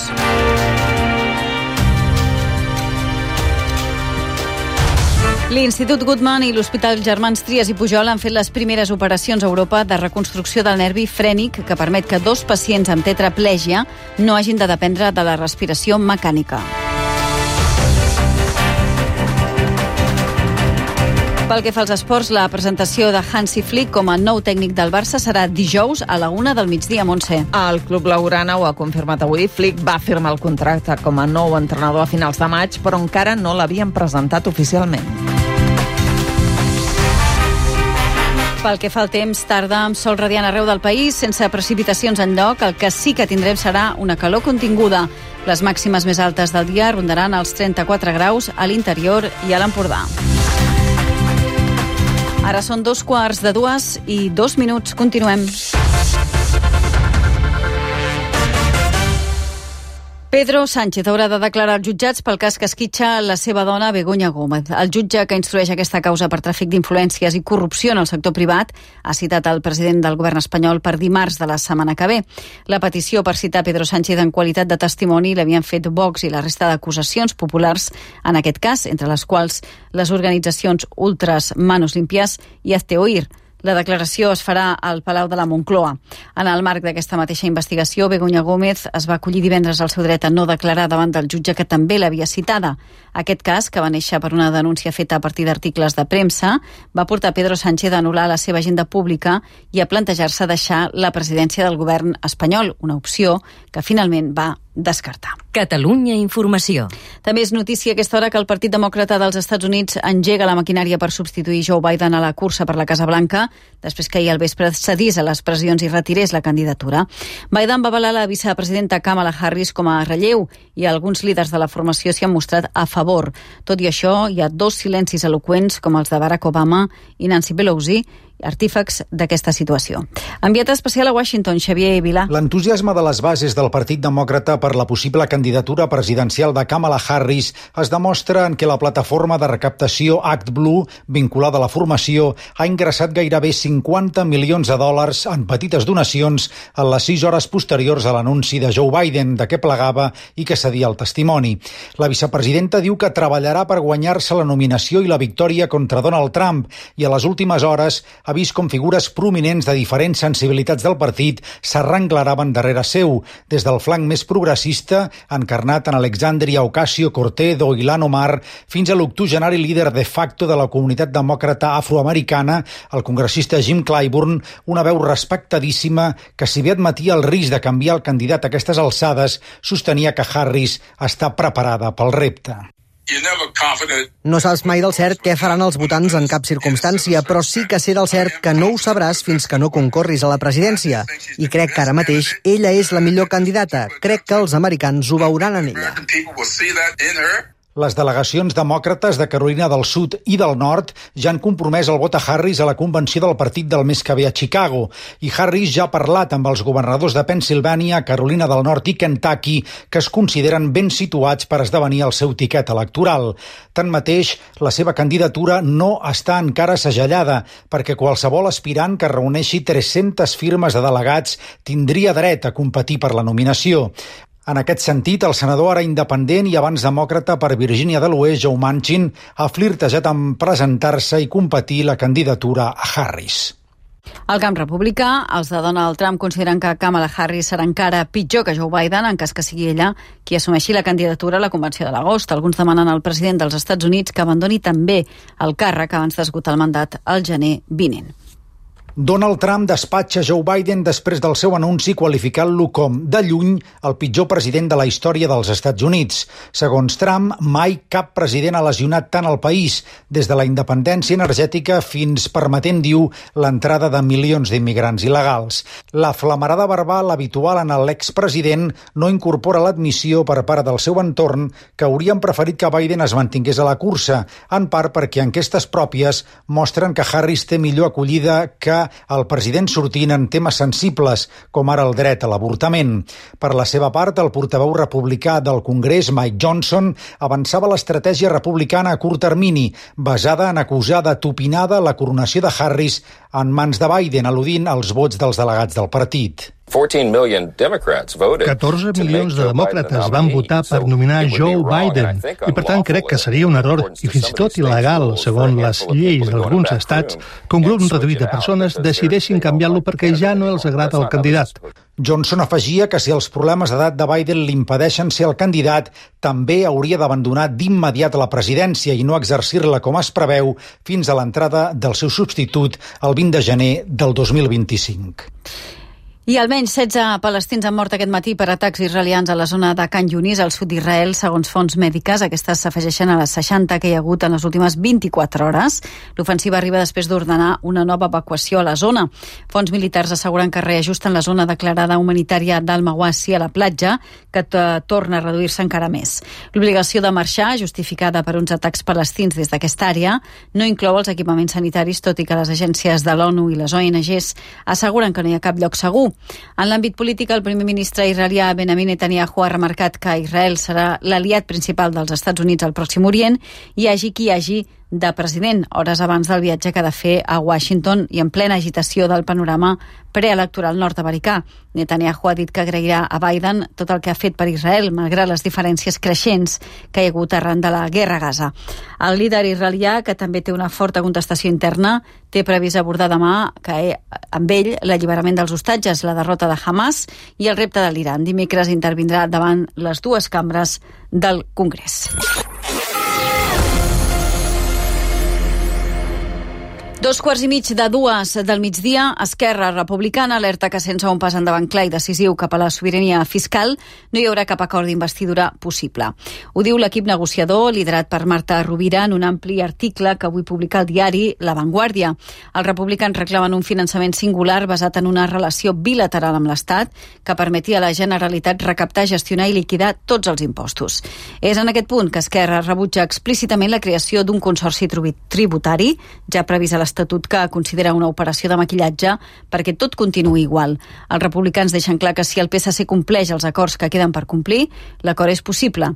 L'Institut Guttmann i l'Hospital Germans Trias i Pujol han fet les primeres operacions a Europa de reconstrucció del nervi frènic que permet que dos pacients amb tetraplègia no hagin de dependre de la respiració mecànica. Pel que fa als esports, la presentació de Hansi Flick com a nou tècnic del Barça serà dijous a la una del migdia a Montse. El club blaugrana ho ha confirmat avui. Flick va firmar el contracte com a nou entrenador a finals de maig, però encara no l'havien presentat oficialment. Pel que fa al temps, tarda amb sol radiant arreu del país, sense precipitacions enlloc. El que sí que tindrem serà una calor continguda. Les màximes més altes del dia rondaran els trenta-quatre graus a l'interior i a l'Empordà. Ara són dos quarts de dues i dos minuts. Continuem. Pedro Sánchez haurà de declarar als jutjats pel cas que esquitxa la seva dona, Begoña Gómez. El jutge que instrueix aquesta causa per tràfic d'influències i corrupció en el sector privat ha citat el president del govern espanyol per dimarts de la setmana que ve. La petició per citar Pedro Sánchez en qualitat de testimoni l'havien fet Vox i la resta d'acusacions populars en aquest cas, entre les quals les organitzacions ultras Manos Limpias i Hazte Oír. La declaració es farà al Palau de la Moncloa. En el marc d'aquesta mateixa investigació, Begoña Gómez es va acollir divendres al seu dret a no declarar davant del jutge que també l'havia citada. Aquest cas, que va néixer per una denúncia feta a partir d'articles de premsa, va portar Pedro Sánchez a anul·lar la seva agenda pública i a plantejar-se deixar la presidència del govern espanyol, una opció que finalment va descartar. Catalunya Informació. També és notícia a aquesta hora que el Partit Demòcrata dels Estats Units engega la maquinària per substituir Joe Biden a la cursa per la Casa Blanca, després que ahir al vespre cedís a les pressions i retirés la candidatura. Biden va avalar la vicepresidenta Kamala Harris com a relleu i alguns líders de la formació s'hi han mostrat a favor. Tot i això, hi ha dos silencis eloqüents com els de Barack Obama i Nancy Pelosi, artífex d'aquesta situació. Enviat especial a Washington, Xavier Vilà. L'entusiasme de les bases del Partit Demòcrata per la possible candidatura presidencial de Kamala Harris es demostra en què la plataforma de recaptació ActBlue, vinculada a la formació, ha ingressat gairebé cinquanta milions de dòlars en petites donacions en les sis hores posteriors a l'anunci de Joe Biden de què plegava i que cedia el testimoni. La vicepresidenta diu que treballarà per guanyar-se la nominació i la victòria contra Donald Trump i a les últimes hores ha vist com figures prominents de diferents sensibilitats del partit s'arrenglaraven darrere seu, des del flanc més progressista, encarnat en Alexandria Ocasio-Cortez o Ilhan Omar, fins a l'octogenari líder de facto de la comunitat demòcrata afroamericana, el congressista Jim Clyburn, una veu respectadíssima que, si bé admetia el risc de canviar el candidat a aquestes alçades, sostenia que Harris està preparada pel repte. No saps mai del cert què faran els votants en cap circumstància, però sí que sé del cert que no ho sabràs fins que no concorris a la presidència. I crec que ara mateix ella és la millor candidata. Crec que els americans ho veuran en ella. Les delegacions demòcrates de Carolina del Sud i del Nord ja han compromès el vot a Harris a la convenció del partit del mes que ve a Chicago. I Harris ja ha parlat amb els governadors de Pennsilvània, Carolina del Nord i Kentucky, que es consideren ben situats per esdevenir el seu tiquet electoral. Tanmateix, la seva candidatura no està encara segellada, perquè qualsevol aspirant que reuneixi tres-centes firmes de delegats tindria dret a competir per la nominació. En aquest sentit, el senador ara independent i abans demòcrata per Virgínia de l'Oest, Joe Manchin, ha flirtejat amb presentar-se i competir la candidatura a Harris. Al camp republicà, els de Donald Trump consideren que Kamala Harris serà encara pitjor que Joe Biden en cas que sigui ella qui assumeixi la candidatura a la convenció de l'agost. Alguns demanen al president dels Estats Units que abandoni també el càrrec abans d'esgotar el mandat al gener vinent. Donald Trump despatxa Joe Biden després del seu anunci qualificant-lo com, de lluny, el pitjor president de la història dels Estats Units. Segons Trump, mai cap president ha lesionat tant el país, des de la independència energètica fins permetent, diu, l'entrada de milions d'immigrants il·legals. La flamarada verbal habitual en l'expresident no incorpora l'admissió per part del seu entorn que haurien preferit que Biden es mantingués a la cursa, en part perquè enquestes pròpies mostren que Harris té millor acollida que el president sortint en temes sensibles, com ara el dret a l'avortament. Per la seva part, el portaveu republicà del Congrés, Mike Johnson, avançava l'estratègia republicana a curt termini, basada en acusar de tupinada la coronació de Harris en mans de Biden, al·ludint als vots dels delegats del partit. catorze milions de demòcrates van votar per nominar Joe Biden i, per tant, crec que seria un error i fins i tot il·legal, segons les lleis d'alguns estats, que un grup reduït de persones decideixin canviar-lo perquè ja no els agrada el candidat. Johnson afegia que si els problemes d'edat de Biden l'impedeixen ser el candidat, també hauria d'abandonar d'immediat la presidència i no exercir-la com es preveu fins a l'entrada del seu substitut el vint de gener del dos mil vint-i-cinc. I almenys setze palestins han mort aquest matí per atacs israelians a la zona de Khan Yunis, al sud d'Israel, segons fonts mèdiques. Aquestes s'afegeixen a les seixanta que hi ha hagut en les últimes vint-i-quatre hores. L'ofensiva arriba després d'ordenar una nova evacuació a la zona. Fonts militars asseguren que reajusten la zona declarada humanitària d'Al-Mawasi a la platja, que torna a reduir-se encara més. L'obligació de marxar, justificada per uns atacs palestins des d'aquesta àrea, no inclou els equipaments sanitaris, tot i que les agències de l'ONU i les O N Ges asseguren que no hi ha cap lloc segur. En l'àmbit polític, el primer ministre israelià Benjamin Netanyahu ha remarcat que Israel serà l'aliat principal dels Estats Units al Pròxim Orient, hi hagi qui hi hagi de president, hores abans del viatge que ha de fer a Washington i en plena agitació del panorama preelectoral nord-americà. Netanyahu ha dit que agrairà a Biden tot el que ha fet per Israel, malgrat les diferències creixents que hi ha hagut arran de la guerra a Gaza. El líder israelià, que també té una forta contestació interna, té previst abordar demà que amb ell l'alliberament dels hostatges, la derrota de Hamas i el repte de l'Iran. Dimecres intervindrà davant les dues cambres del Congrés. Dos quarts i mig de dues del migdia, Esquerra Republicana alerta que sense un pas endavant clar i decisiu cap a la sobirania fiscal no hi haurà cap acord d'investidura possible. Ho diu l'equip negociador liderat per Marta Rovira en un ampli article que avui publica el diari La Vanguardia. Els republicans reclamen un finançament singular basat en una relació bilateral amb l'Estat que permeti a la Generalitat recaptar, gestionar i liquidar tots els impostos. És en aquest punt que Esquerra rebutja explícitament la creació d'un consorci tributari, ja previst a l'Estatut, que considera una operació de maquillatge perquè tot continuï igual. Els republicans deixen clar que si el P S C compleix els acords que queden per complir, l'acord és possible.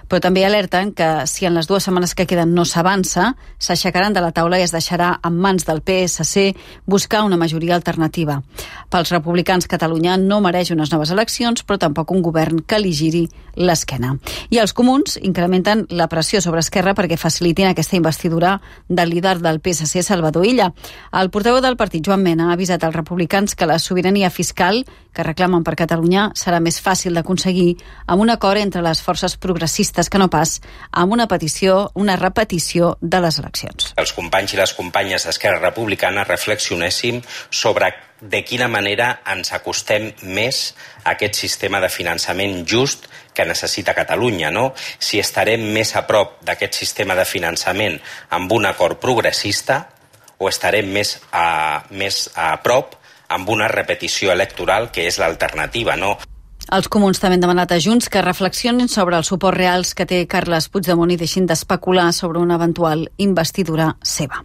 Però també alerten que si en les dues setmanes que queden no s'avança, s'aixecaran de la taula i es deixarà en mans del P S C buscar una majoria alternativa. Pels republicans, Catalunya no mereix unes noves eleccions, però tampoc un govern que li giri l'esquena. I els comuns incrementen la pressió sobre Esquerra perquè facilitin aquesta investidura del líder del P S C, Salvador Illa. El portaveu del partit, Joan Mena, ha avisat als republicans que la sobirania fiscal que reclamen per Catalunya serà més fàcil d'aconseguir amb un acord entre les forces progressistes que no pas amb una petició, una repetició de les eleccions. Els companys i les companyes d'Esquerra Republicana reflexionéssim sobre de quina manera ens acostem més a aquest sistema de finançament just que necessita Catalunya, no? Si estarem més a prop d'aquest sistema de finançament amb un acord progressista o estarem més a, més a prop amb una repetició electoral que és l'alternativa, no? Els comuns també han demanat a Junts que reflexionin sobre els suports reals que té Carles Puigdemont i deixin d'especular sobre una eventual investidura seva.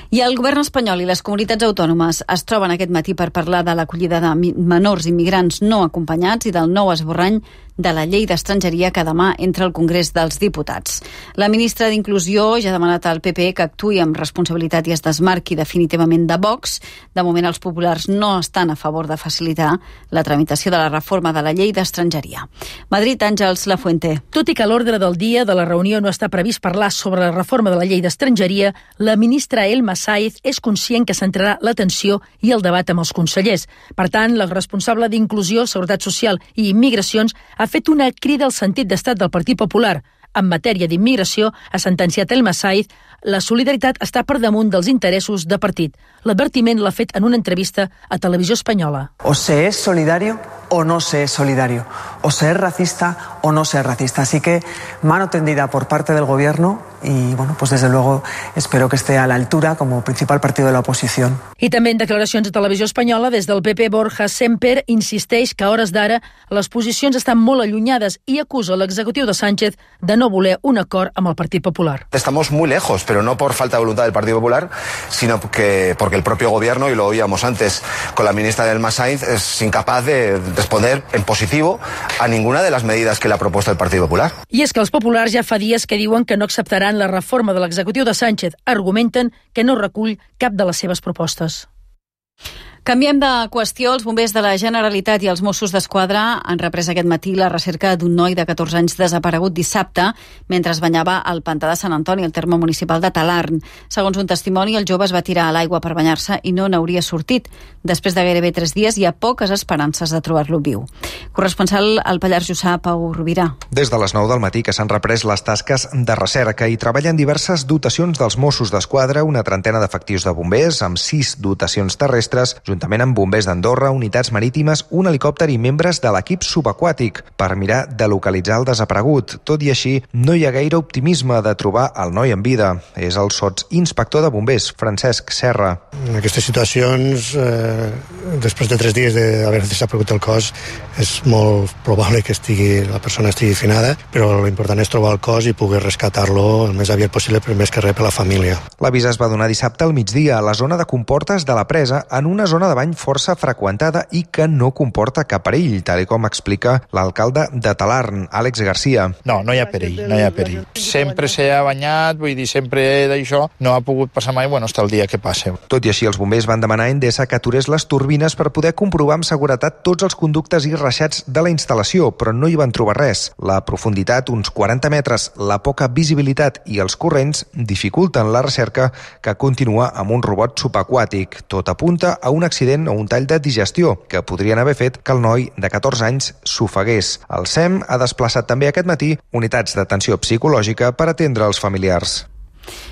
I el govern espanyol i les comunitats autònomes es troben aquest matí per parlar de l'acollida de menors immigrants no acompanyats i del nou esborrany de la llei d'estrangeria que demà entra al Congrés dels Diputats. La ministra d'Inclusió ja ha demanat al P P que actuï amb responsabilitat i es desmarqui definitivament de Vox. De moment els populars no estan a favor de facilitar la tramitació de la reforma de la llei d'estrangeria. Madrid, Àngels Lafuente. Tot i que a l'ordre del dia de la reunió no està previst parlar sobre la reforma de la llei d'estrangeria, la ministra Elma Sáiz és conscient que centrarà l'atenció i el debat amb els consellers. Per tant, la responsable d'Inclusió, Seguretat Social i Immigracions ha fet una crida al sentit d'estat del Partit Popular. En matèria d'immigració, ha sentenciat Elma Sáiz, la solidaritat està per damunt dels interessos de partit. L'advertiment l'ha fet en una entrevista a Televisió Espanyola. O se es solidario o no se es solidario. O se es racista o no se es racista. Así que mano tendida por parte del gobierno y, bueno, pues desde luego espero que esté a la altura como principal partido de la oposición. I també en declaracions a Televisió Espanyola, des del P P, Borja Semper insisteix que a hores d'ara les posicions estan molt allunyades i acusa l'executiu de Sánchez de no voler un acord amb el Partit Popular. Estamos muy lejos, pero no por falta de voluntad del Partido Popular, sino que, porque el propio gobierno, y lo oíamos antes con la ministra Elma Sáiz, es incapaz de responder en positivo a ninguna de las medidas que le ha propuesto el Partido Popular. I és que els populars ja fa dies que diuen que no acceptaran la reforma de l'executiu de Sánchez. Argumenten que no recull cap de les seves propostes. Canviem de qüestió. Els bombers de la Generalitat i els Mossos d'Esquadra han reprès aquest matí la recerca d'un noi de catorze anys desaparegut dissabte mentre es banyava al pantà de Sant Antoni, al terme municipal de Talarn. Segons un testimoni, el jove es va tirar a l'aigua per banyar-se i no n'hauria sortit. Després de gairebé tres dies hi ha poques esperances de trobar-lo viu. Corresponsal al Pallars Jussà, Pau Rovira. Des de les nou del matí que s'han reprès les tasques de recerca i treballen diverses dotacions dels Mossos d'Esquadra, una trentena d'efectius de bombers, amb sis dotacions terrestres, juntament amb bombers d'Andorra, unitats marítimes, un helicòpter i membres de l'equip subaquàtic per mirar de localitzar el desaparegut. Tot i així, no hi ha gaire optimisme de trobar el noi en vida. És el sotsinspector de bombers, Francesc Serra. En aquestes situacions, eh, després de tres dies d'haver desaparegut el cos, és molt probable que estigui, la persona estigui finada, però l'important és trobar el cos i poder rescatar-lo el més aviat possible, però més que res per la família. L'avís es va donar dissabte al migdia a la zona de Comportes de la Presa, en una zona de bany força freqüentada i que no comporta cap perill, tal com explica l'alcalde de Talarn, Àlex Garcia. No, no hi ha perill, no hi ha perill. Sempre s'ha banyat, vull dir, sempre d'això, no ha pogut passar mai, bueno, hasta el dia que passe. Tot i així, els bombers van demanar a Endesa que aturés les turbines per poder comprovar amb seguretat tots els conductes i reixats de la instal·lació, però no hi van trobar res. La profunditat, uns quaranta metres, la poca visibilitat i els corrents dificulten la recerca, que continua amb un robot subaquàtic. Tot apunta a un accident o un tall de digestió que podrien haver fet que el noi de catorze anys s'ofegués. El S E M ha desplaçat també aquest matí unitats d'atenció psicològica per atendre els familiars.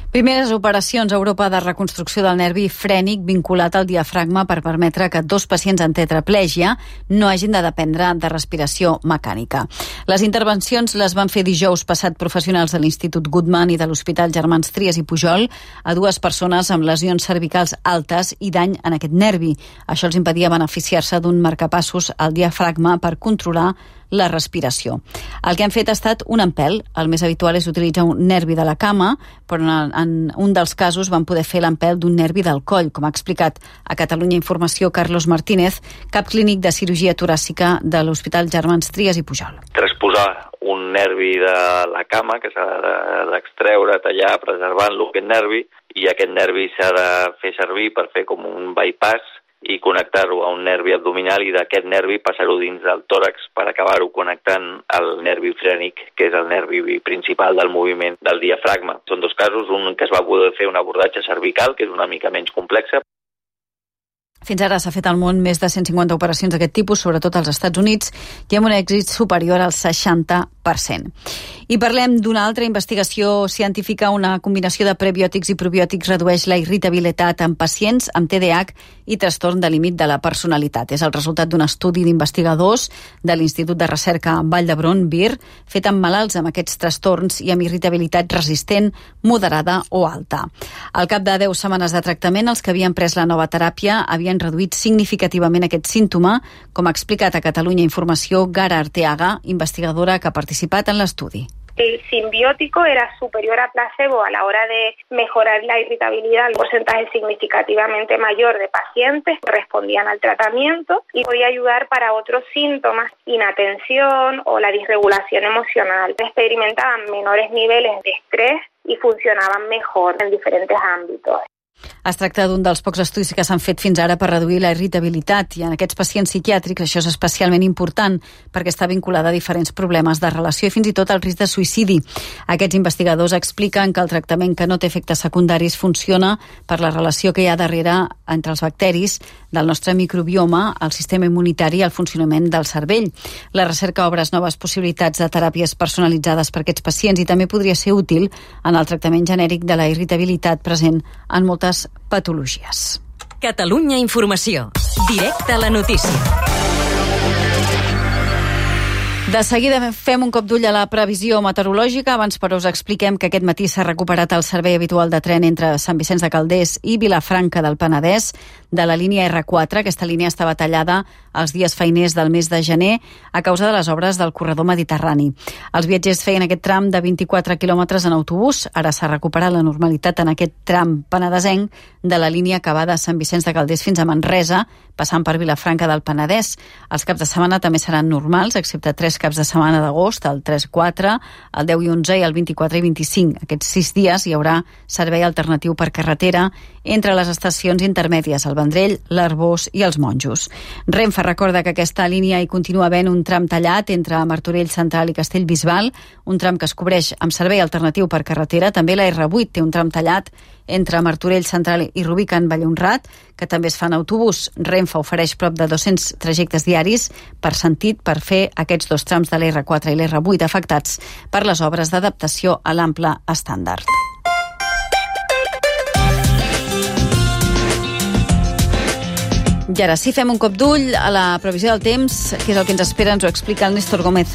Primeres operacions a Europa de reconstrucció del nervi frènic vinculat al diafragma per permetre que dos pacients amb tetraplègia no hagin de dependre de respiració mecànica. Les intervencions les van fer dijous passat professionals de l'Institut Guttmann i de l'Hospital Germans Trias i Pujol a dues persones amb lesions cervicals altes i dany en aquest nervi. Això els impedia beneficiar-se d'un marcapassos al diafragma per controlar la respiració. El que han fet ha estat un empelt. El més habitual és utilitzar un nervi de la cama, però en, en un dels casos van poder fer l'empelt d'un nervi del coll, com ha explicat a Catalunya Informació Carlos Martínez, cap clínic de cirurgia toràcica de l'Hospital Germans Trias i Pujol. Transposar un nervi de la cama que s'ha d'extreure, tallar, preservant-lo, aquest nervi, i aquest nervi s'ha de fer servir per fer com un bypass i connectar-ho a un nervi abdominal i d'aquest nervi passar-ho dins del tòrax per acabar-ho connectant al nervi frènic, que és el nervi principal del moviment del diafragma. Són dos casos, un que es va poder fer un abordatge cervical, que és una mica menys complexa. Fins ara s'ha fet al món més de cent cinquanta operacions d'aquest tipus, sobretot als Estats Units, i amb un èxit superior al seixanta per cent. I parlem d'una altra investigació científica. Una combinació de prebiòtics i probiòtics redueix la irritabilitat en pacients amb T D A H i trastorn de límit de la personalitat. És el resultat d'un estudi d'investigadors de l'Institut de Recerca Vall d'Hebron, V I R, fet amb malalts amb aquests trastorns i amb irritabilitat resistent, moderada o alta. Al cap de deu setmanes de tractament, els que havien pres la nova teràpia havien havent reduït significativament aquest símptoma, com ha explicat a Catalunya Informació Gara Arteaga, investigadora que ha participat en l'estudi. El simbiótico era superior a placebo a la hora de mejorar la irritabilidad, un porcentaje significativamente mayor de pacientes respondían al tratamiento y podía ayudar para otros síntomas, inatención o la disregulación emocional. Experimentaban menores niveles de estrés y funcionaban mejor en diferentes ámbitos. Es tracta d'un dels pocs estudis que s'han fet fins ara per reduir la irritabilitat i en aquests pacients psiquiàtrics això és especialment important perquè està vinculada a diferents problemes de relació i fins i tot al risc de suïcidi. Aquests investigadors expliquen que el tractament que no té efectes secundaris funciona per la relació que hi ha darrere entre els bacteris del nostre microbioma, el sistema immunitari i el funcionament del cervell. La recerca obre noves possibilitats de teràpies personalitzades per aquests pacients i també podria ser útil en el tractament genèric de la irritabilitat present en moltes patologies. Catalunya Informació. Directe a la notícia. De seguida fem un cop d'ull a la previsió meteorològica. Abans, però, us expliquem que aquest matí s'ha recuperat el servei habitual de tren entre Sant Vicenç de Calders i Vilafranca del Penedès de la línia erre quatre. Aquesta línia estava tallada els dies feiners del mes de gener a causa de les obres del corredor mediterrani. Els viatgers feien aquest tram de vint-i-quatre quilòmetres en autobús. Ara s'ha recuperat la normalitat en aquest tram penedesenc de la línia que va de Sant Vicenç de Calders fins a Manresa, passant per Vilafranca del Penedès. Els caps de setmana també seran normals, excepte tres caps de setmana d'agost, el tres quatre, el deu i onze i el vint-i-quatre i vint-i-cinc. Aquests sis dies hi haurà servei alternatiu per carretera entre les estacions intermèdies, el Vendrell, l'Arbós i els Monjos. Renfe recorda que aquesta línia hi continua havent un tram tallat entre Martorell Central i Castellbisbal, un tram que es cobreix amb servei alternatiu per carretera. També la erre vuit té un tram tallat entre Martorell Central i Rubí Can Vallhonrat, que també es fa en autobús. Renfe ofereix prop de dos-cents trajectes diaris per sentit per fer aquests dos trams de l'erre quatre i l'erre vuit afectats per les obres d'adaptació a l'ample estàndard. I ara sí, fem un cop d'ull a la previsió del temps, que és el que ens espera, ens ho explica el Néstor Gómez.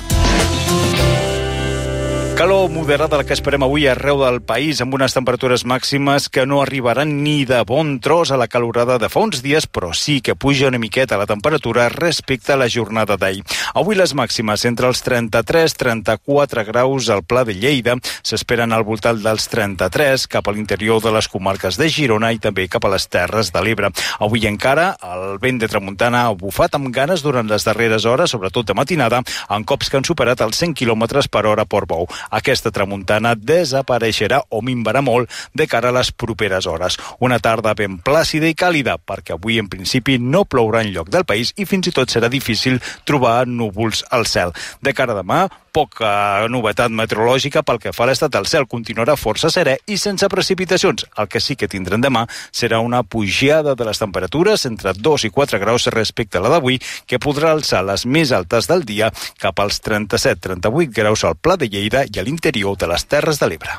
Calor moderada la que esperem avui arreu del país, amb unes temperatures màximes que no arribaran ni de bon tros a la calorada de fa uns dies, però sí que puja una miqueta la temperatura respecte a la jornada d'ahir. Avui les màximes entre els trenta-tres i trenta-quatre graus al Pla de Lleida, s'esperen al voltant dels trenta-tres cap a l'interior de les comarques de Girona i també cap a les Terres de l'Ebre. Avui encara el vent de tramuntana ha bufat amb ganes durant les darreres hores, sobretot de matinada, en cops que han superat els cent quilòmetres per hora a Portbou. Aquesta tramuntana desapareixerà o minvarà molt de cara a les properes hores. Una tarda ben plàcida i càlida, perquè avui en principi no plourà enlloc del país i fins i tot serà difícil trobar núvols al cel. De cara a demà, poca novetat meteorològica pel que fa a l'estat del cel. Continuarà força serè i sense precipitacions. El que sí que tindrem demà serà una pujada de les temperatures entre dos i quatre graus respecte a la d'avui, que podrà alçar les més altes del dia cap als trenta-set a trenta-vuit graus al Pla de Lleida i a l'interior de les Terres de l'Ebre.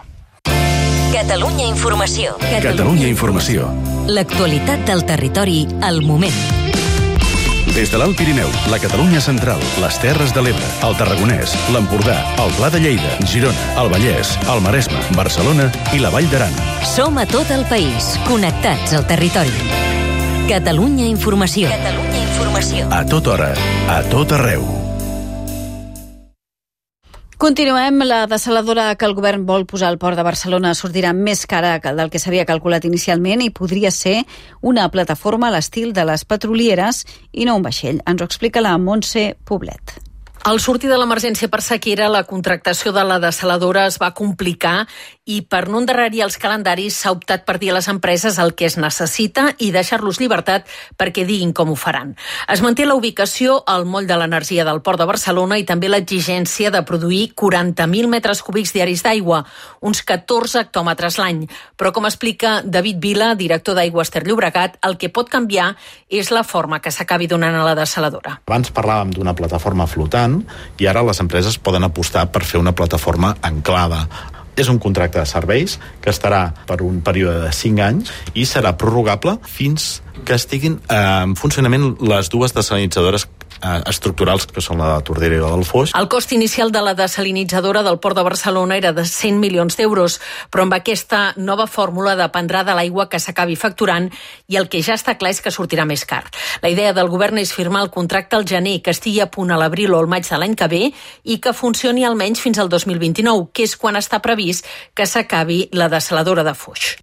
Catalunya Informació. Catalunya Informació. L'actualitat del territori al moment. Des de l'Alt Pirineu, la Catalunya Central, les Terres de l'Ebre, el Tarragonès, l'Empordà, el Pla de Lleida, Girona, el Vallès, el Maresme, Barcelona i la Vall d'Aran. Som a tot el país, connectats al territori. Catalunya Informació. Catalunya Informació. A tota hora, a tot arreu. Continuem. La dessaladora que el govern vol posar al port de Barcelona sortirà més cara del que s'havia calculat inicialment i podria ser una plataforma a l'estil de les petrolieres i no un vaixell. Ens ho explica la Montse Poblet. Al sortir de l'emergència per sequera, la contractació de la dessaladora es va complicar i per no endarrerir els calendaris s'ha optat per dir a les empreses el que es necessita i deixar-los llibertat perquè diguin com ho faran. Es manté la ubicació al moll de l'energia del Port de Barcelona i també l'exigència de produir quaranta mil metres cúbics diaris d'aigua, uns catorze hectòmetres l'any. Però com explica David Vila, director d'Aigües Ter Llobregat, el que pot canviar és la forma que s'acabi donant a la dessaladora. Abans parlàvem d'una plataforma flotant i ara les empreses poden apostar per fer una plataforma anclada. És un contracte de serveis que estarà per un període de cinc anys i serà prorrogable fins que estiguin en funcionament les dues desalinitzadores eh, estructurals, que són la de Tordera i la del Foix. El cost inicial de la desalinitzadora del Port de Barcelona era de cent milions d'euros, però amb aquesta nova fórmula dependrà de l'aigua que s'acabi facturant i el que ja està clar és que sortirà més car. La idea del govern és firmar el contracte al gener, que estigui a punt a l'abril o al maig de l'any que ve i que funcioni almenys fins al dos mil vint-i-nou, que és quan està previst que s'acabi la desaladora de Foix.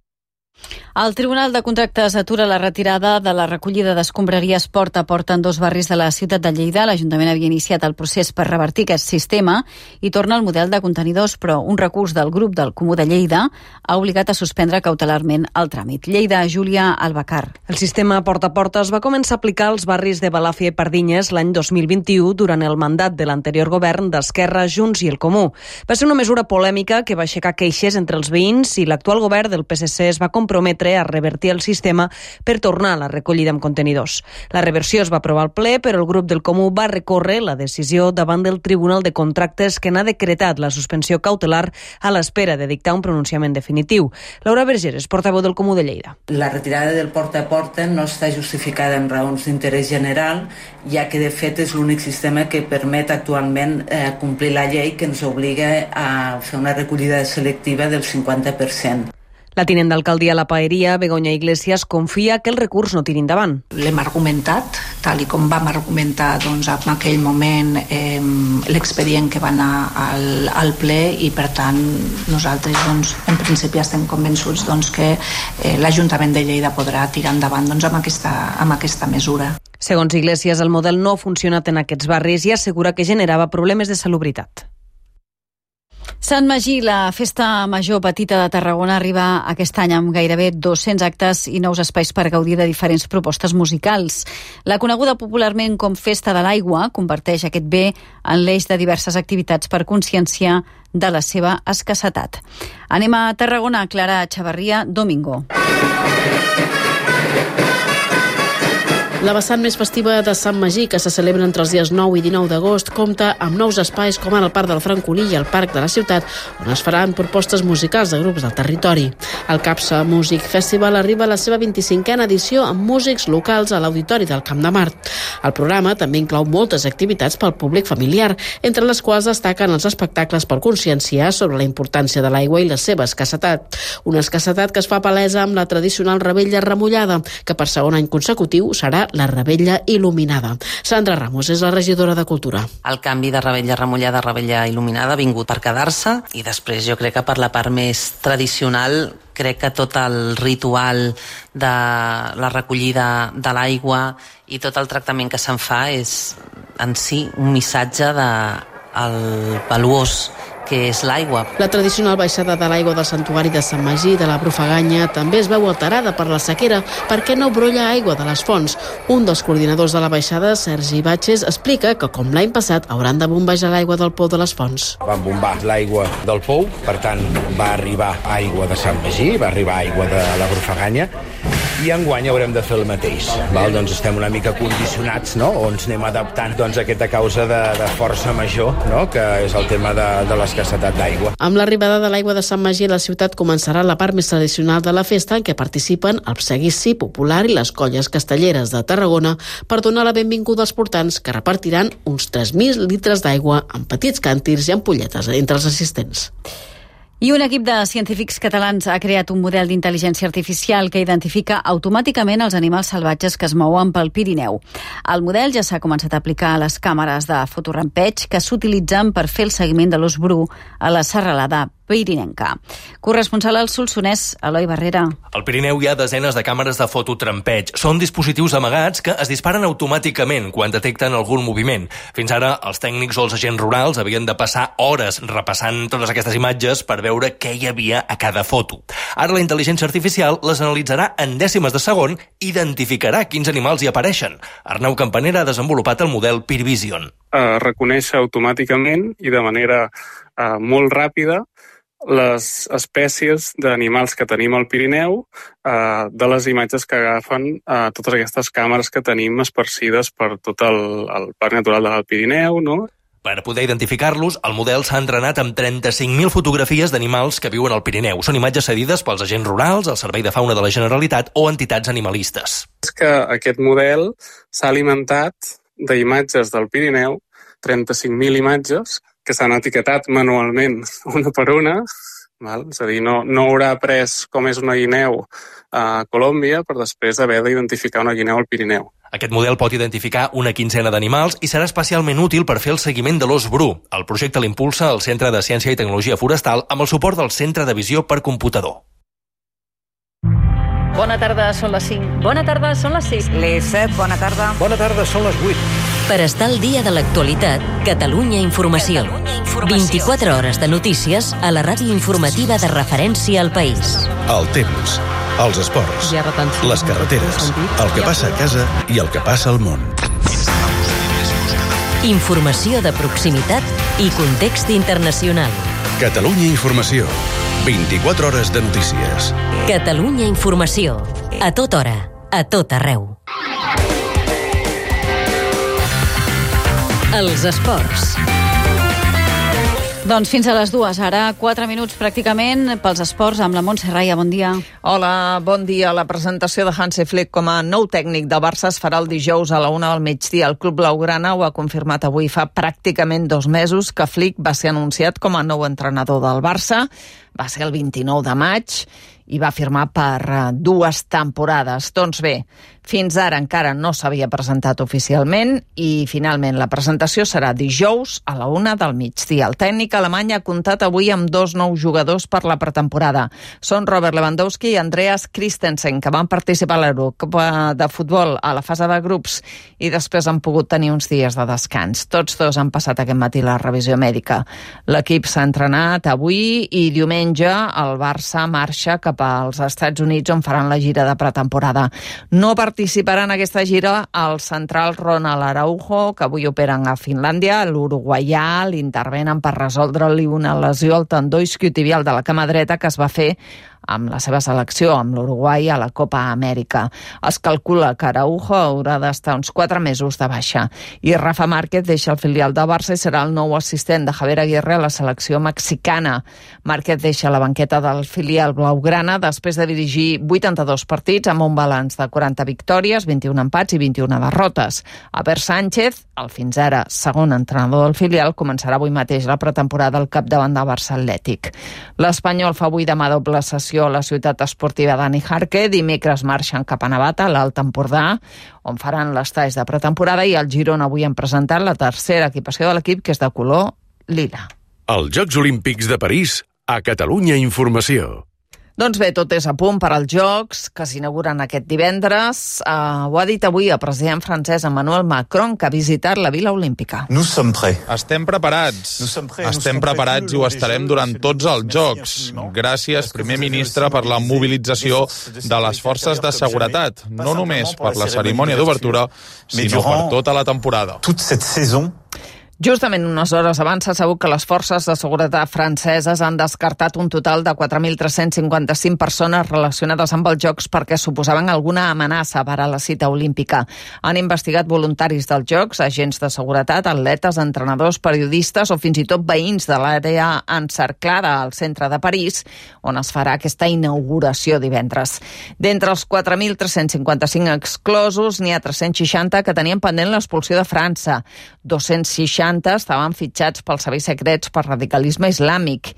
El Tribunal de Contractes atura la retirada de la recollida d'escombraries porta a porta en dos barris de la ciutat de Lleida. L'Ajuntament havia iniciat el procés per revertir aquest sistema i torna al model de contenidors, però un recurs del grup del Comú de Lleida ha obligat a suspendre cautelarment el tràmit. Lleida, Júlia Albacar. El sistema porta a porta es va començar a aplicar als barris de Balàfia i Pardinyes l'any dos mil vint-i-u durant el mandat de l'anterior govern d'Esquerra, Junts i el Comú. Va ser una mesura polèmica que va aixecar queixes entre els veïns i l'actual govern del P S C es va comprometre a revertir el sistema per tornar a la recollida amb contenidors. La reversió es va aprovar al ple, però el grup del Comú va recórrer la decisió davant del Tribunal de Contractes, que n'ha decretat la suspensió cautelar a l'espera de dictar un pronunciament definitiu. Laura Vergeres, portaveu del Comú de Lleida. La retirada del porta a porta no està justificada en raons d'interès general, ja que de fet és l'únic sistema que permet actualment eh, complir la llei que ens obliga a fer una recollida selectiva del cinquanta per cent. La tinent d'alcaldia a la Paeria, Begoña Iglesias, confia que el recurs no tiri endavant. L'hem argumentat, tal i com vam argumentar doncs, en aquell moment eh, l'expedient que va anar al, al ple, i per tant nosaltres doncs, en principi estem convençuts doncs, que eh, l'Ajuntament de Lleida podrà tirar endavant doncs, amb, aquesta, amb aquesta mesura. Segons Iglesias, el model no ha funcionat en aquests barris i assegura que generava problemes de salubritat. Sant Magí, la festa major petita de Tarragona, arriba aquest any amb gairebé dos-cents actes i nous espais per gaudir de diferents propostes musicals. La coneguda popularment com Festa de l'Aigua converteix aquest bé en l'eix de diverses activitats per conscienciar de la seva escassetat. Anem a Tarragona, Clara Chavarria, Domingo. La vessant més festiva de Sant Magí, que se celebra entre els dies nou i dinou d'agost, compta amb nous espais com ara el Parc del Francolí i el Parc de la Ciutat, on es faran propostes musicals de grups del territori. El Capsa Music Festival arriba a la seva vint-i-cinquena edició amb músics locals a l'Auditori del Camp de Mart. El programa també inclou moltes activitats pel públic familiar, entre les quals destaquen els espectacles per conscienciar sobre la importància de l'aigua i la seva escassetat. Una escassetat que es fa palesa amb la tradicional revetlla remullada, que per segon any consecutiu serà la revetlla il·luminada. Sandra Ramos és la regidora de Cultura. El canvi de revetlla remullada a revetlla il·luminada ha vingut per quedar-se, i després jo crec que per la part més tradicional crec que tot el ritual de la recollida de l'aigua i tot el tractament que se'n fa és en si un missatge de el valuós que és l'aigua. La tradicional baixada de l'aigua del santuari de Sant Magí de la Brufaganya també es veu alterada per la sequera perquè no brolla aigua de les fonts. Un dels coordinadors de la baixada, Sergi Batxes, explica que com l'any passat hauran de bombejar l'aigua del pou de les fonts. Van bombar l'aigua del pou, per tant va arribar aigua de Sant Magí, va arribar aigua de la Brufaganya, i enguany haurem de fer el mateix. Val? Doncs estem una mica condicionats, no? O ens anem adaptant doncs, a aquesta causa de, de força major, no? Que és el tema de, de l'escassetat d'aigua. Amb l'arribada de l'aigua de Sant Magí, la ciutat començarà la part més tradicional de la festa, en què participen el seguici popular i les colles castelleres de Tarragona per donar la benvinguda als portants, que repartiran uns tres mil litres d'aigua en petits càntirs i ampolletes entre els assistents. I un equip de científics catalans ha creat un model d'intel·ligència artificial que identifica automàticament els animals salvatges que es mouen pel Pirineu. El model ja s'ha començat a aplicar a les càmeres de fotorampeig que s'utilitzen per fer el seguiment de l'ós bru a la serralada pirinenca. Corresponsal al Solsonès, Eloi Barrera. Al Pirineu hi ha desenes de càmeres de fototrampeig. Són dispositius amagats que es disparen automàticament quan detecten algun moviment. Fins ara, els tècnics o els agents rurals havien de passar hores repassant totes aquestes imatges per veure què hi havia a cada foto. Ara la intel·ligència artificial les analitzarà en dècimes de segon i identificarà quins animals hi apareixen. Arnau Campanera ha desenvolupat el model PeerVision. Uh, reconèixer automàticament i de manera uh, molt ràpida les espècies d'animals que tenim al Pirineu, eh, de les imatges que agafen eh, totes aquestes càmeres que tenim esparcides per tot el, el Parc Natural del Pirineu, no? Per poder identificar-los, el model s'ha entrenat amb trenta-cinc mil fotografies d'animals que viuen al Pirineu. Són imatges cedides pels agents rurals, el Servei de Fauna de la Generalitat o entitats animalistes. És que aquest model s'ha alimentat d'imatges del Pirineu, trenta-cinc mil imatges, que s'han etiquetat manualment una per una, val? És a dir, no, no haurà après com és una guineu a Colòmbia per després haver d'identificar una guineu al Pirineu. Aquest model pot identificar una quinzena d'animals i serà especialment útil per fer el seguiment de l'ós bru. El projecte l'impulsa el Centre de Ciència i Tecnologia Forestal amb el suport del Centre de Visió per Computador. Bona tarda, són les cinc. Bona tarda, són les sis. Les set, bona tarda. Bona tarda, són les vuit. Per estar al dia de l'actualitat, Catalunya Informació. vint-i-quatre hores de notícies a la ràdio informativa de referència al país. El temps, els esports, les carreteres, el que passa a casa i el que passa al món. Informació de proximitat i context internacional. Catalunya Informació. vint-i-quatre hores de notícies. Catalunya Informació. A tota hora, a tot arreu. Els esports. Doncs fins a les dues, ara quatre minuts pràcticament pels esports amb la Montse Raya, bon dia. Hola, bon dia. La presentació de Hansi Flick com a nou tècnic del Barça es farà el dijous a la una del migdia. El club blaugrana ho ha confirmat avui. Fa pràcticament dos mesos que Flick va ser anunciat com a nou entrenador del Barça. Va ser el vint-i-nou de maig i va firmar per dues temporades. Doncs bé, fins ara encara no s'havia presentat oficialment i finalment la presentació serà dijous a la una del migdia. El tècnic alemany ha comptat avui amb dos nous jugadors per la pretemporada. Són Robert Lewandowski i Andreas Christensen, que van participar a l'Eurocopa de futbol a la fase de grups i després han pogut tenir uns dies de descans. Tots dos han passat aquest matí la revisió mèdica. L'equip s'ha entrenat avui i diumenge el Barça marxa cap als Estats Units on faran la gira de pretemporada. No participarà en aquesta gira el central Ronald Araujo, que avui operen a Finlàndia. L'uruguaià l'intervenen per resoldre-li una lesió al tendó isquiotibial de la cama dreta que es va fer amb la seva selecció, amb l'Uruguai, a la Copa Amèrica. Es calcula que Araujo haurà d'estar uns quatre mesos de baixa. I Rafa Márquez deixa el filial de Barça i serà el nou assistent de Javier Aguirre a la selecció mexicana. Márquez deixa la banqueta del filial blaugrana després de dirigir vuitanta-dos partits amb un balanç de quaranta victòries, vint-i-un empats i vint-i-una derrotes. Albert Sánchez, el fins ara segon entrenador del filial, començarà avui mateix la pretemporada al capdavant del Barça Atlètic. L'Espanyol fa avui demà doble sessió a la ciutat esportiva Dani Jarque. Dimecres marxen cap a Navata, a l'Alt Empordà, on faran les talls de pretemporada, i el Girona avui han presentat la tercera equipació de l'equip, que és de color lila. Els Jocs Olímpics de París a Catalunya Informació. Doncs bé, tot és a punt per als Jocs, que s'inauguren aquest divendres. Uh, ho ha dit avui el president francès Emmanuel Macron, que ha visitat la Vila Olímpica. Estem preparats. Estem preparats i ho estarem durant tots els Jocs. Gràcies, primer ministre, per la mobilització de les forces de seguretat, no només per la cerimònia d'obertura, sinó per tota la temporada. Justament unes hores abans s'ha sabut que les forces de seguretat franceses han descartat un total de quatre mil tres-cents cinquanta-cinc persones relacionades amb els Jocs perquè suposaven alguna amenaça per a la cita olímpica. Han investigat voluntaris dels Jocs, agents de seguretat, atletes, entrenadors, periodistes o fins i tot veïns de l'àrea encerclada al centre de París, on es farà aquesta inauguració divendres. D'entre els quatre mil tres-cents cinquanta-cinc exclosos, n'hi ha tres-cents seixanta que tenien pendent l'expulsió de França, dos-cents seixanta estaven fitxats pels serveis secrets per radicalisme islàmic.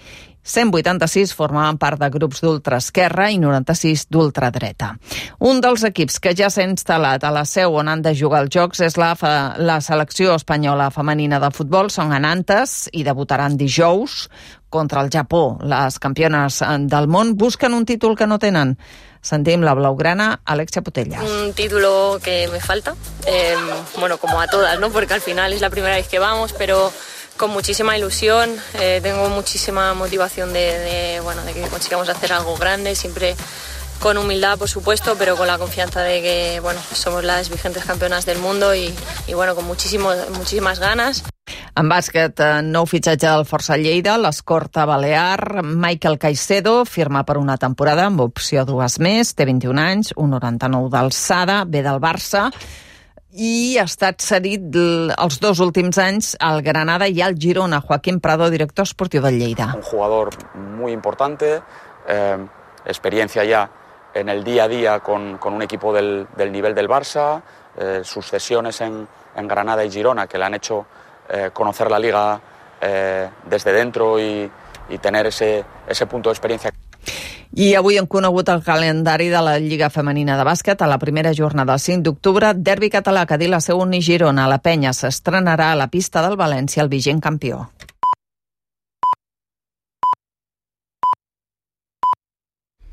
cent vuitanta-sis formaven part de grups d'ultraesquerra i noranta-sis d'ultradreta. Un dels equips que ja s'ha instal·lat a la seu on han de jugar els Jocs és la, la selecció espanyola femenina de futbol. Són a Nantes i debutaran dijous contra el Japó. Les campiones del món busquen un títol que no tenen. Sentim la blaugrana Alexia Putella. Un título que me falta, eh, bueno, como a todas, ¿no? Porque al final es la primera vez que vamos, pero con muchísima ilusión, eh, tengo muchísima motivación de, de, bueno, de que consigamos hacer algo grande, siempre con humildad, por supuesto, pero con la confianza de que, bueno, somos las vigentes campeonas del mundo y, y bueno, con muchísimo, muchísimas ganas. En bàsquet, nou fitxatge del Força Lleida, l'escorta balear. Michael Caicedo firma per una temporada amb opció a dues més, té vint-i-un anys, un noranta-nou d'alçada, ve del Barça i ha estat cedit els dos últims anys al Granada i al Girona. Joaquín Prado, director esportiu del Lleida. Un jugador muy importante, eh, experiencia ya en el día a día con, con un equipo del, del nivel del Barça, eh, sus cesiones en, en Granada y Girona, que le han hecho eh, conocer la Liga eh, desde dentro y, y tener ese, ese punto de experiencia. I avui hem conegut el calendari de la Lliga Femenina de Bàsquet. A la primera jornada, el cinc d'octubre, derbi català, Cadí-la Seu i Girona. La Penya s'estrenarà a la pista del València, el vigent campió.